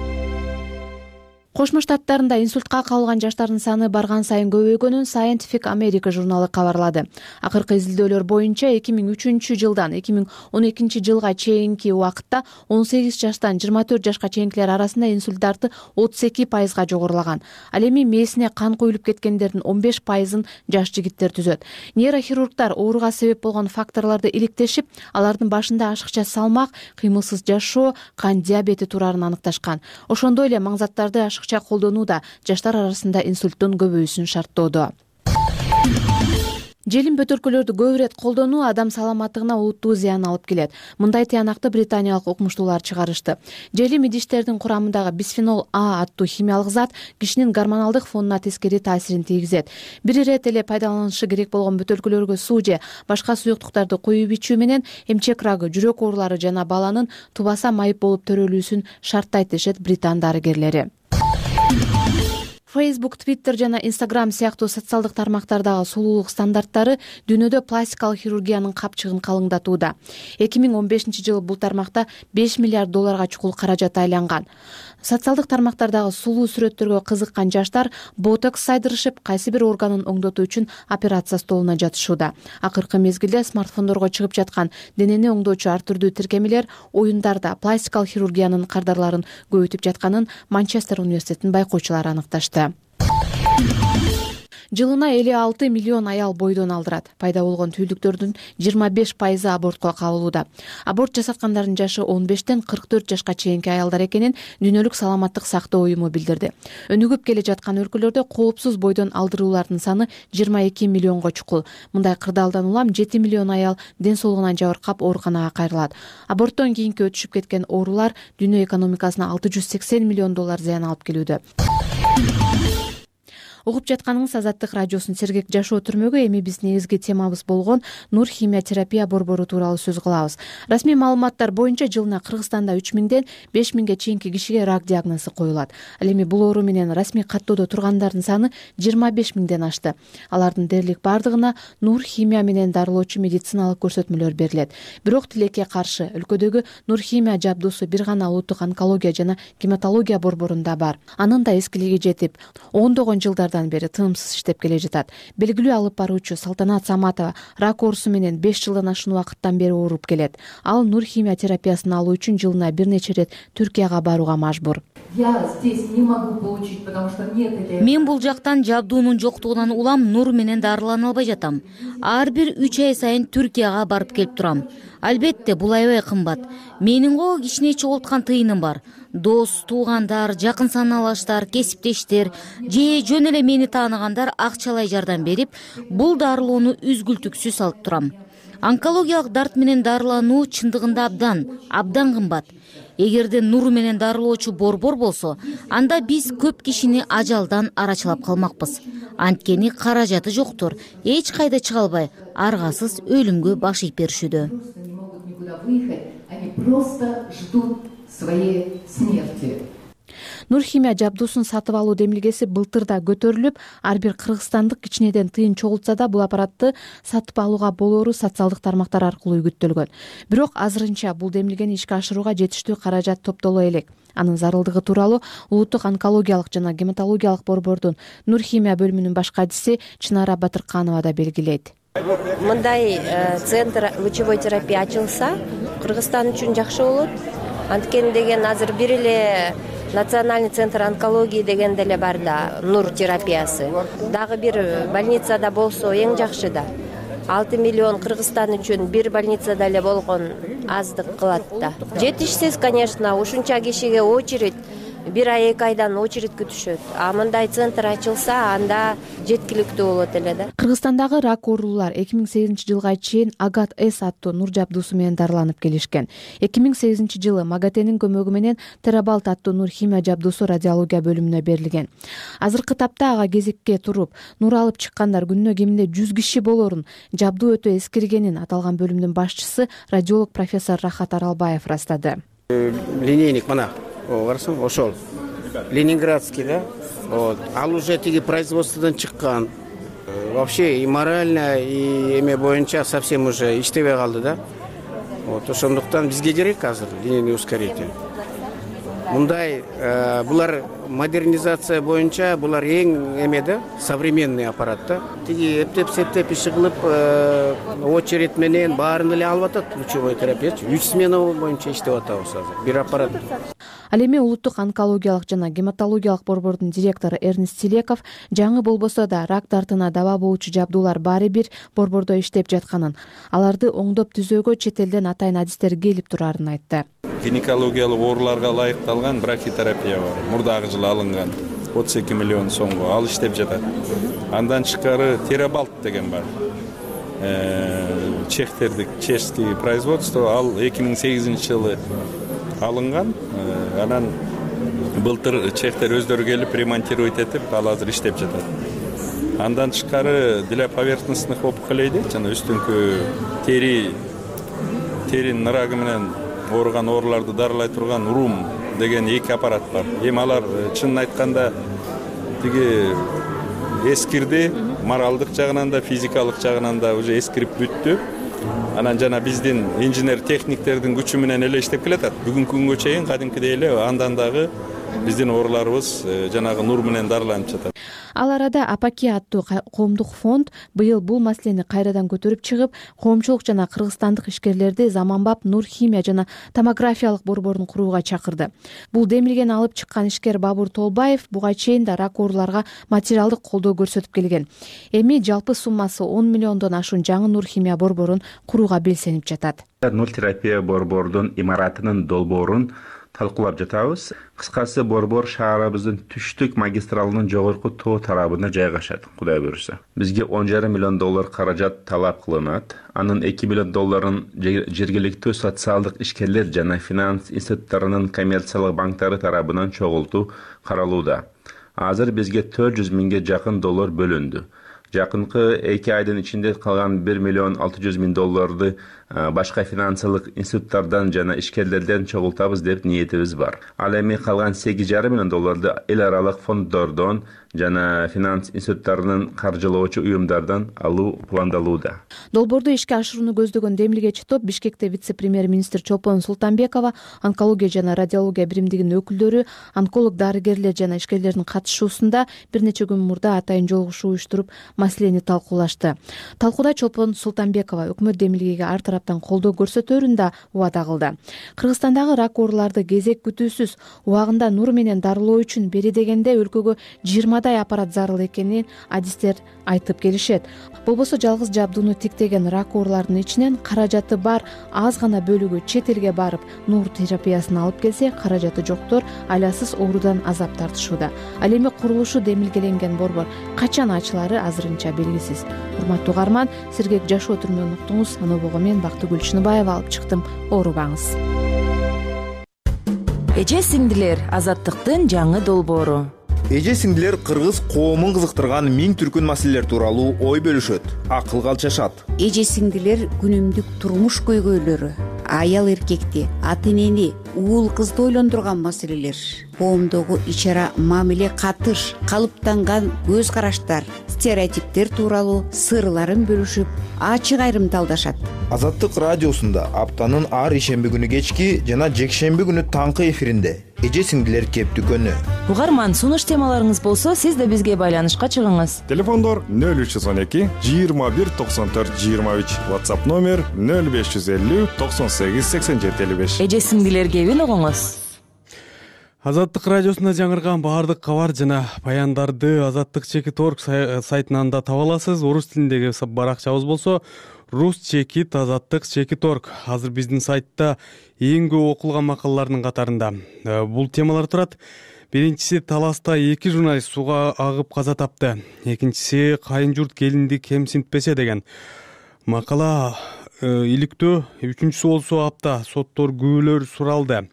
S4: Кошмо Штаттарында инсультка кабылган жаштардын саны барган сайын көбөйгөнүн Scientific America журналы кабарлады. Акыркы изилдөөлөр боюнча эки миң үчүнчү жылдан эки миң он экинчи жылга чейинки убакытта он сегиз жаштан жыйырма төрт жашка чейинкилер арасында инсульт дарты отуз эки пайызга жогорулаган. Ал эми мээсине кан куюлуп кеткендердин он беш пайызын жаш жигиттер түзөт. Нейрохирургдар ооруга себеп болгон факторлорду иликтешип, алардын башында ашыкча салмак, кыймылсыз жашоо, кан диабети турарын аныкташкан. Ошондой эле маңзаттарды ашыкча колдонуу да жаштар арасында инсульттун көбөйүүсүн шарттоодо. Желим бөтөлкөлөрдү көп ирет колдонуу адам саламаттыгына олуттуу зыян алып келет. Мындай тыянакты британиялык окумуштуулар чыгарышты. Желим идиштердин курамындагы бисфенол А аттуу химиялык зат кишинин гормоналдык фонуна тескери таасирин тийгизет. Бир ирет эле пайдаланышы керек болгон бөтөлкөлөргө суу же башка суюктуктарды куюп ичүү менен эмчек рагы, жүрөк оорулары жана баланын тубаса майып болуп төрөлүүсүн шарттайт дешет британ дарыгерлери. Facebook, Twitter жана Instagram сыяктуу социалдык тармактардагы сулуулук стандарттары дүйнөдө пластикалык хирургиянын капчыгын калыңдатууда. эки миң он бешинчи жылы бул тармакта беш миллиард долларга чукул каражат айланган. Социалдык тармактардагы сулуу сүрөттөргө кызыккан жаштар ботокс сайдырышып, кайсы бир органын оңдотуу үчүн операция столуна жатышууда. Акыркы мезгилде смартфондорго чыгып жаткан денени оңдоочу ар түрдүү тиркемелер оюндарда пластикалык хирургиянын кардарларын көбөйтүп жатканын Манчестер университетинин байкоочулары аныкташты. Жылына элүү алты миллион аял бойдон алдырат. Пайда болгон түйүлдүктөрдүн жыйырма беш пайызы абортко кабылууда. Аборт жасаткандардын жашы он бештен кырк төрт жашка чейинки аялдар экенин Дүйнөлүк саламаттык сактоо уюму билдирди. Өнүгүп келе жаткан өлкөлөрдө коопсуз бойдон алдыруулардын саны жыйырма эки миллионго чукул. Мындай кырдаалдан улам жети миллион аял ден соолугунан жабыркап ооруканага кайрылат. Аборттон кийинки өтүшүп кеткен оорулар дүйнө экономикасына алты жүз сексен миллион доллар зыян алып келүүдө. Угуп жатканыңыз Азаттык радиосунун сергек жашоо түрмөгү. Эми биз негизги темабыз болгон Нур химия терапия борбору тууралуу сөз кылабыз. Расмий маалыматтар боюнча жылына Кыргызстанда үч миңден беш миңге чейинки кишиге рак диагнозу коюлат. Ал эми бул оору менен расмий каттоодо тургандардын саны жыйырма беш миңден ашты. Алардын дээрлик бардыгына Нур химия менен дарылоочу медициналык көрсөтмөлөр берилет. Бирок тилекке каршы өлкөдөгү Нур химия жабдуусу бир гана улуттук онкология жана гематология борборунда бар. Анын да эскилиги жетип, ондогон жылдар бери тынымсыз иштеп келе жатат. Белгилүү алып баруучу Салтанат Саматова рак оорусу менен беш жылдан ашуун убакыттан бери ооруп келет. Ал Нур химия терапиясын алуу үчүн жылына бир нече ирет Түркияга барууга мажбур.
S3: Мен бул жактан жабдуунун жоктугунан улам Нур менен дарылана албай жатам. Ар бир үч ай сайын Түркияга барып келип турам. Албетте бул аябай кымбат. Менин го кичине чогулткан тыйыным бар. Дос, туугандар, жакын саналаштар, кесиптештер же жөн эле мени тааныгандар акчалай жардам берип, бул дарылоону үзгүлтүксүз алып турам. Онкологиялык дарт менен дарылануу чындыгында абдан, абдан кымбат. Эгерде Нур менен дарылоочу борбор болсо, анда биз көп кишини ажалдан арачылап калмакпыз. Анткени каражаты жоктор, эч кайда чыга албай, аргасыз өлүмгө баш ийип беришүүдө.
S4: Нур химия жабдуусун сатып алуу демилгеси былтыр да көтөрүлүп, ар бир кыргызстандык кичинеден тыйын чогултса да бул аппаратты сатып алууга болоору социалдык тармактар аркылуу үгүттөлгөн. Бирок азырынча бул демилгени ишке ашырууга жетиштүү каражат топтоло элек. Анын зарылдыгы тууралуу улуттук онкологиялык жана гематологиялык борбордун Нур химия бөлүмүнүн баш кадиси Чынара Батырканова да белгилейт.
S5: Мындай центр лучевой терапия ачылса, Кыргызстан үчүн жакшы болот. Анткени деген азыр бир эле национальный центр онкологии деген деле бар да, Нур терапиясы. Дагы бир больницада болсо эң жакшы да. алты миллион Кыргызстан үчүн бир больницада эле болгон аздык кылат да. Жетишсиз, конечно, ушунча кишиге очередь бир ай эки айдан очередь күтүшөт, а мындай центр ачылса анда жеткиликтүү болот эле да.
S4: Кыргызстандагы рак оорулуулар эки миң сегизинчи жылга чейин Агат С аттуу нур жабдуусу менен дарыланып келишкен. эки миң сегизинчи жылы МАГАТЭнин көмөгү менен Терабалт аттуу нур химия жабдуусу радиология бөлүмүнө берилген. Азыркы тапта ага кезекке туруп нур алып чыккандар күнүнө кеминде жүз киши болорун, жабдуу өтө эскиргенин аталган бөлүмдүн башчысы радиолог профессор Рахат Аралбаев ырастады.
S2: Линейник мына карасаң ошол ленинградский да. Вот. Ал уже тиги производстводон чыккан. Вообще и морально, и эме боюнча совсем уже иштебей калды да. Вот ошондуктан бизге керек азыр линейный ускоритель. Мындай булар модернизация боюнча булар эң эме да, современный аппарат да. Тиги эптеп септеп иши кылып очередь менен баарын эле алып атат лучевой терапиячы. үч смена боюнча иштеп атабыз азыр. Бир аппарат.
S4: Ал эми улуттук онкологиялык жана гематологиялык борбордун директору Эрнест Тилеков жаңы болбосо да рак дартына даба болуучу жабдуулар баары бир борбордо иштеп жатканын, аларды оңдоп түзөөгө чет элден атайын адистер келип турарын айтты.
S6: Гинекологиялык ооруларга ылайыкталган брахитерапия бар. Мурдагы жылы алынган отуз эки миллион сомго ал иштеп жатат. Андан тышкары Терабалт деген бар. Чехтердик, чешский производство, ал эки миң сегизинчи жылы алынган. Анан былтыр чехтер өздөрү келип ремонтировать этип, ал азыр иштеп жатат. Андан тышкары для поверхностных опухолей дейт, жана үстүңкү тери теринин ырагы менен ооруган ооруларды дарылай турган рум деген эки аппарат бар. Эми алар чынын айтканда тиги эскирди, моралдык жагынан да, физикалык жагынан да уже эскирип бүттү. Анан жана биздин инженер техниктердин күчү менен эле иштеп келатат. Бүгүнкү күнгө чейин кадимкидей эле андан дагы биздин ооруларыбыз жанагы нур менен дарыланып жатат.
S4: Ал арада Апаки аттуу коомдук фонд быйыл бул маселени кайрадан көтөрүп чыгып, коомчулук жана кыргызстандык ишкерлерди заманбап нур химия жана томографиялык борборун курууга чакырды. Бул демилгени алып чыккан ишкер Бабур Толбаев буга чейин да рак ооруларга материалдык колдоо көрсөтүп келген. Эми жалпы суммасы он миллиондон ашуун жаңы нур химия борборун курууга белсенип жатат.
S7: Нур терапия борбордун имаратынын долбоорун талкуулап жатабыз. Кыскасы борбор шаарыбыздын түштүк магистралынын жогорку тоо тарабына жайгашат, Кудай буюрса. Бизге он жарым миллион доллар каражат талап кылынат. Анын эки миллион долларын жергиликтүү социалдык ишкерлер жана финанс институттарынын коммерциялык банктары тарабынан чогултуу каралууда. Азыр бизге төрт жүз миңге жакын доллар бөлүндү. Жакынкы эки айдын ичинде калган бир миллион алты жүз миң долларды башка финансылык институттардан жана ишкерлерден чогултабыз деп ниетибиз бар. Ал эми калган сегиз жарым миллион долларды эл аралык фонддордон жана финанс институттарынын каржылоочу уюмдардан алуу пландалууда.
S4: Долбоорду ишке ашырууну көздөгөн демилгечи топ Бишкекте вице-премьер-министр Чолпон Султанбекова, онкология жана радиология биримдигинин өкүлдөрү, онколог дарыгерлер жана ишкерлердин катышуусунда бир нече күн мурда атайын жолугушуу уюштуруп маселени талкуулашты. Талкууда Чолпон Султанбекова өкмөт демилгеге ар тараптан колдоо көрсөтөөрүн да убада кылды. Кыргызстандагы рак ооруларды кезек күтүүсүз убагында нур менен дарылоо үчүн бери дегенде өлкөгө жыйырмадай аппарат зарыл экенин адистер айтып келишет. Болбосо жалгыз жабдууну тиктеген рак ооруларынын ичинен каражаты бар аз гана бөлүгү чет элге барып нур терапиясын алып келсе, каражаты жоктор айласыз оорудан азап тартышууда. Ал эми курулушу демилгеленген борбор качан ачылары азырынча белгисиз. Урматтуу угарман, сергек жашоо түрүнөн уктуңуз. Анобого мен Бактыгүл Чыныбаева алып чыктым. Оорубаңыз.
S24: Эже сиңдилер, азаттыктын жаңы долбоору.
S25: Эже сиңдилер кыргыз коомун кызыктырган миң түркүн маселелер тууралуу ой бөлүшөт, акыл калчашат.
S26: Эже сиңдилер күнүмдүк турмуш көйгөйлөрү, аял эркекти, ата энени, уул кызды ойлондурган маселелер, коомдогу ич-ара мамиле катыш, калыптанган көз караштар, стереотиптер тууралуу сырларын бөлүшүп, ачык айрымталдашат.
S25: Азаттык радиосунда аптанын ар ишемби күнү кечки жана жекшемби күнү таңкы эфиринде эже сиңдилер кептүкөнү.
S24: Угарман, сунуш темаларыңыз болсо, сиз да бизге байланышка чыгыңыз.
S20: Телефондор нөл үч жүз он эки жыйырма бир токсон төрт жыйырма үч, WhatsApp номер нөл беш жүз элүү токсон сегиз сексен жети элүү беш.
S24: Эже сиңдилер кебин угуңуз.
S1: Азаттык радиосунда жаңырган баардык кабар жана баяндарды азаттык чекит точка орг сайтынан да таба аласыз. Орус тилиндеги баракчабыз болсо Рус чекит, азаттык, чекит орг азыр биздин сайтта эң көп окулган макалалардын катарында. Бул темалар турат. Биринчиси таласта эки журналист сууга агып каза тапты. Экинчиси кайын журт келинди кемсинтпесе деген макала иликтөө. Үчүнчүсү болсо апта соттор күбөлөр суралды.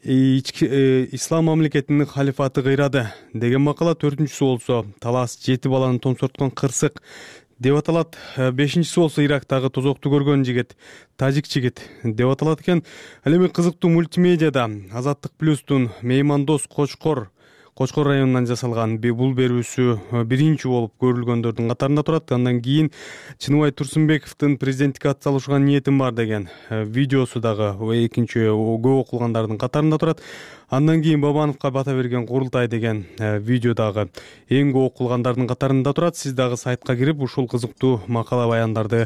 S1: Ислам мамлекетинин халифаты кыйрады деген макала. Төртүнчүсү болсо талас жети баланы томсорткон кырсык деп аталат. Бешинчиси болсо Ирактагы тозокту көргөн жигит, тажик жигит деп аталат экен. Ал эми кызыктуу мультимедиада Азаттык плюстун меймандос Кочкор Кочкор районунан жасалган бул берүүсү биринчи болуп көрүлгөндөрдүн катарында турат. Андан кийин Чыныбай Турсунбековдун президенттикке ат салышкан ниетим бар деген видеосу дагы экинчи көп окулгандардын катарында турат. Андан кийин Бабановго бата берген курултай деген видео дагы эң көп окулгандардын катарында турат. Сиз дагы сайтка кирип ушул кызыктуу макала баяндарды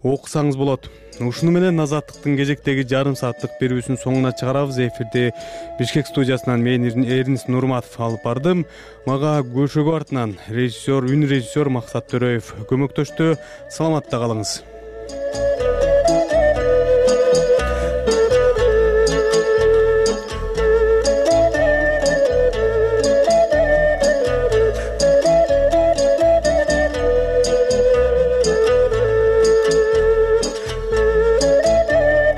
S1: окусаңыз болот. Ушуну менен Азаттыктын кезектеги жарым сааттык берүүсүн соңуна чыгарабыз. Эфирде Бишкек студиясынан мен Эрнис Нурматов алып бардым. Мага көшөгө артынан режиссер, үн режиссер Максат Төрөев көмөктөштү. Саламатта калыңыз.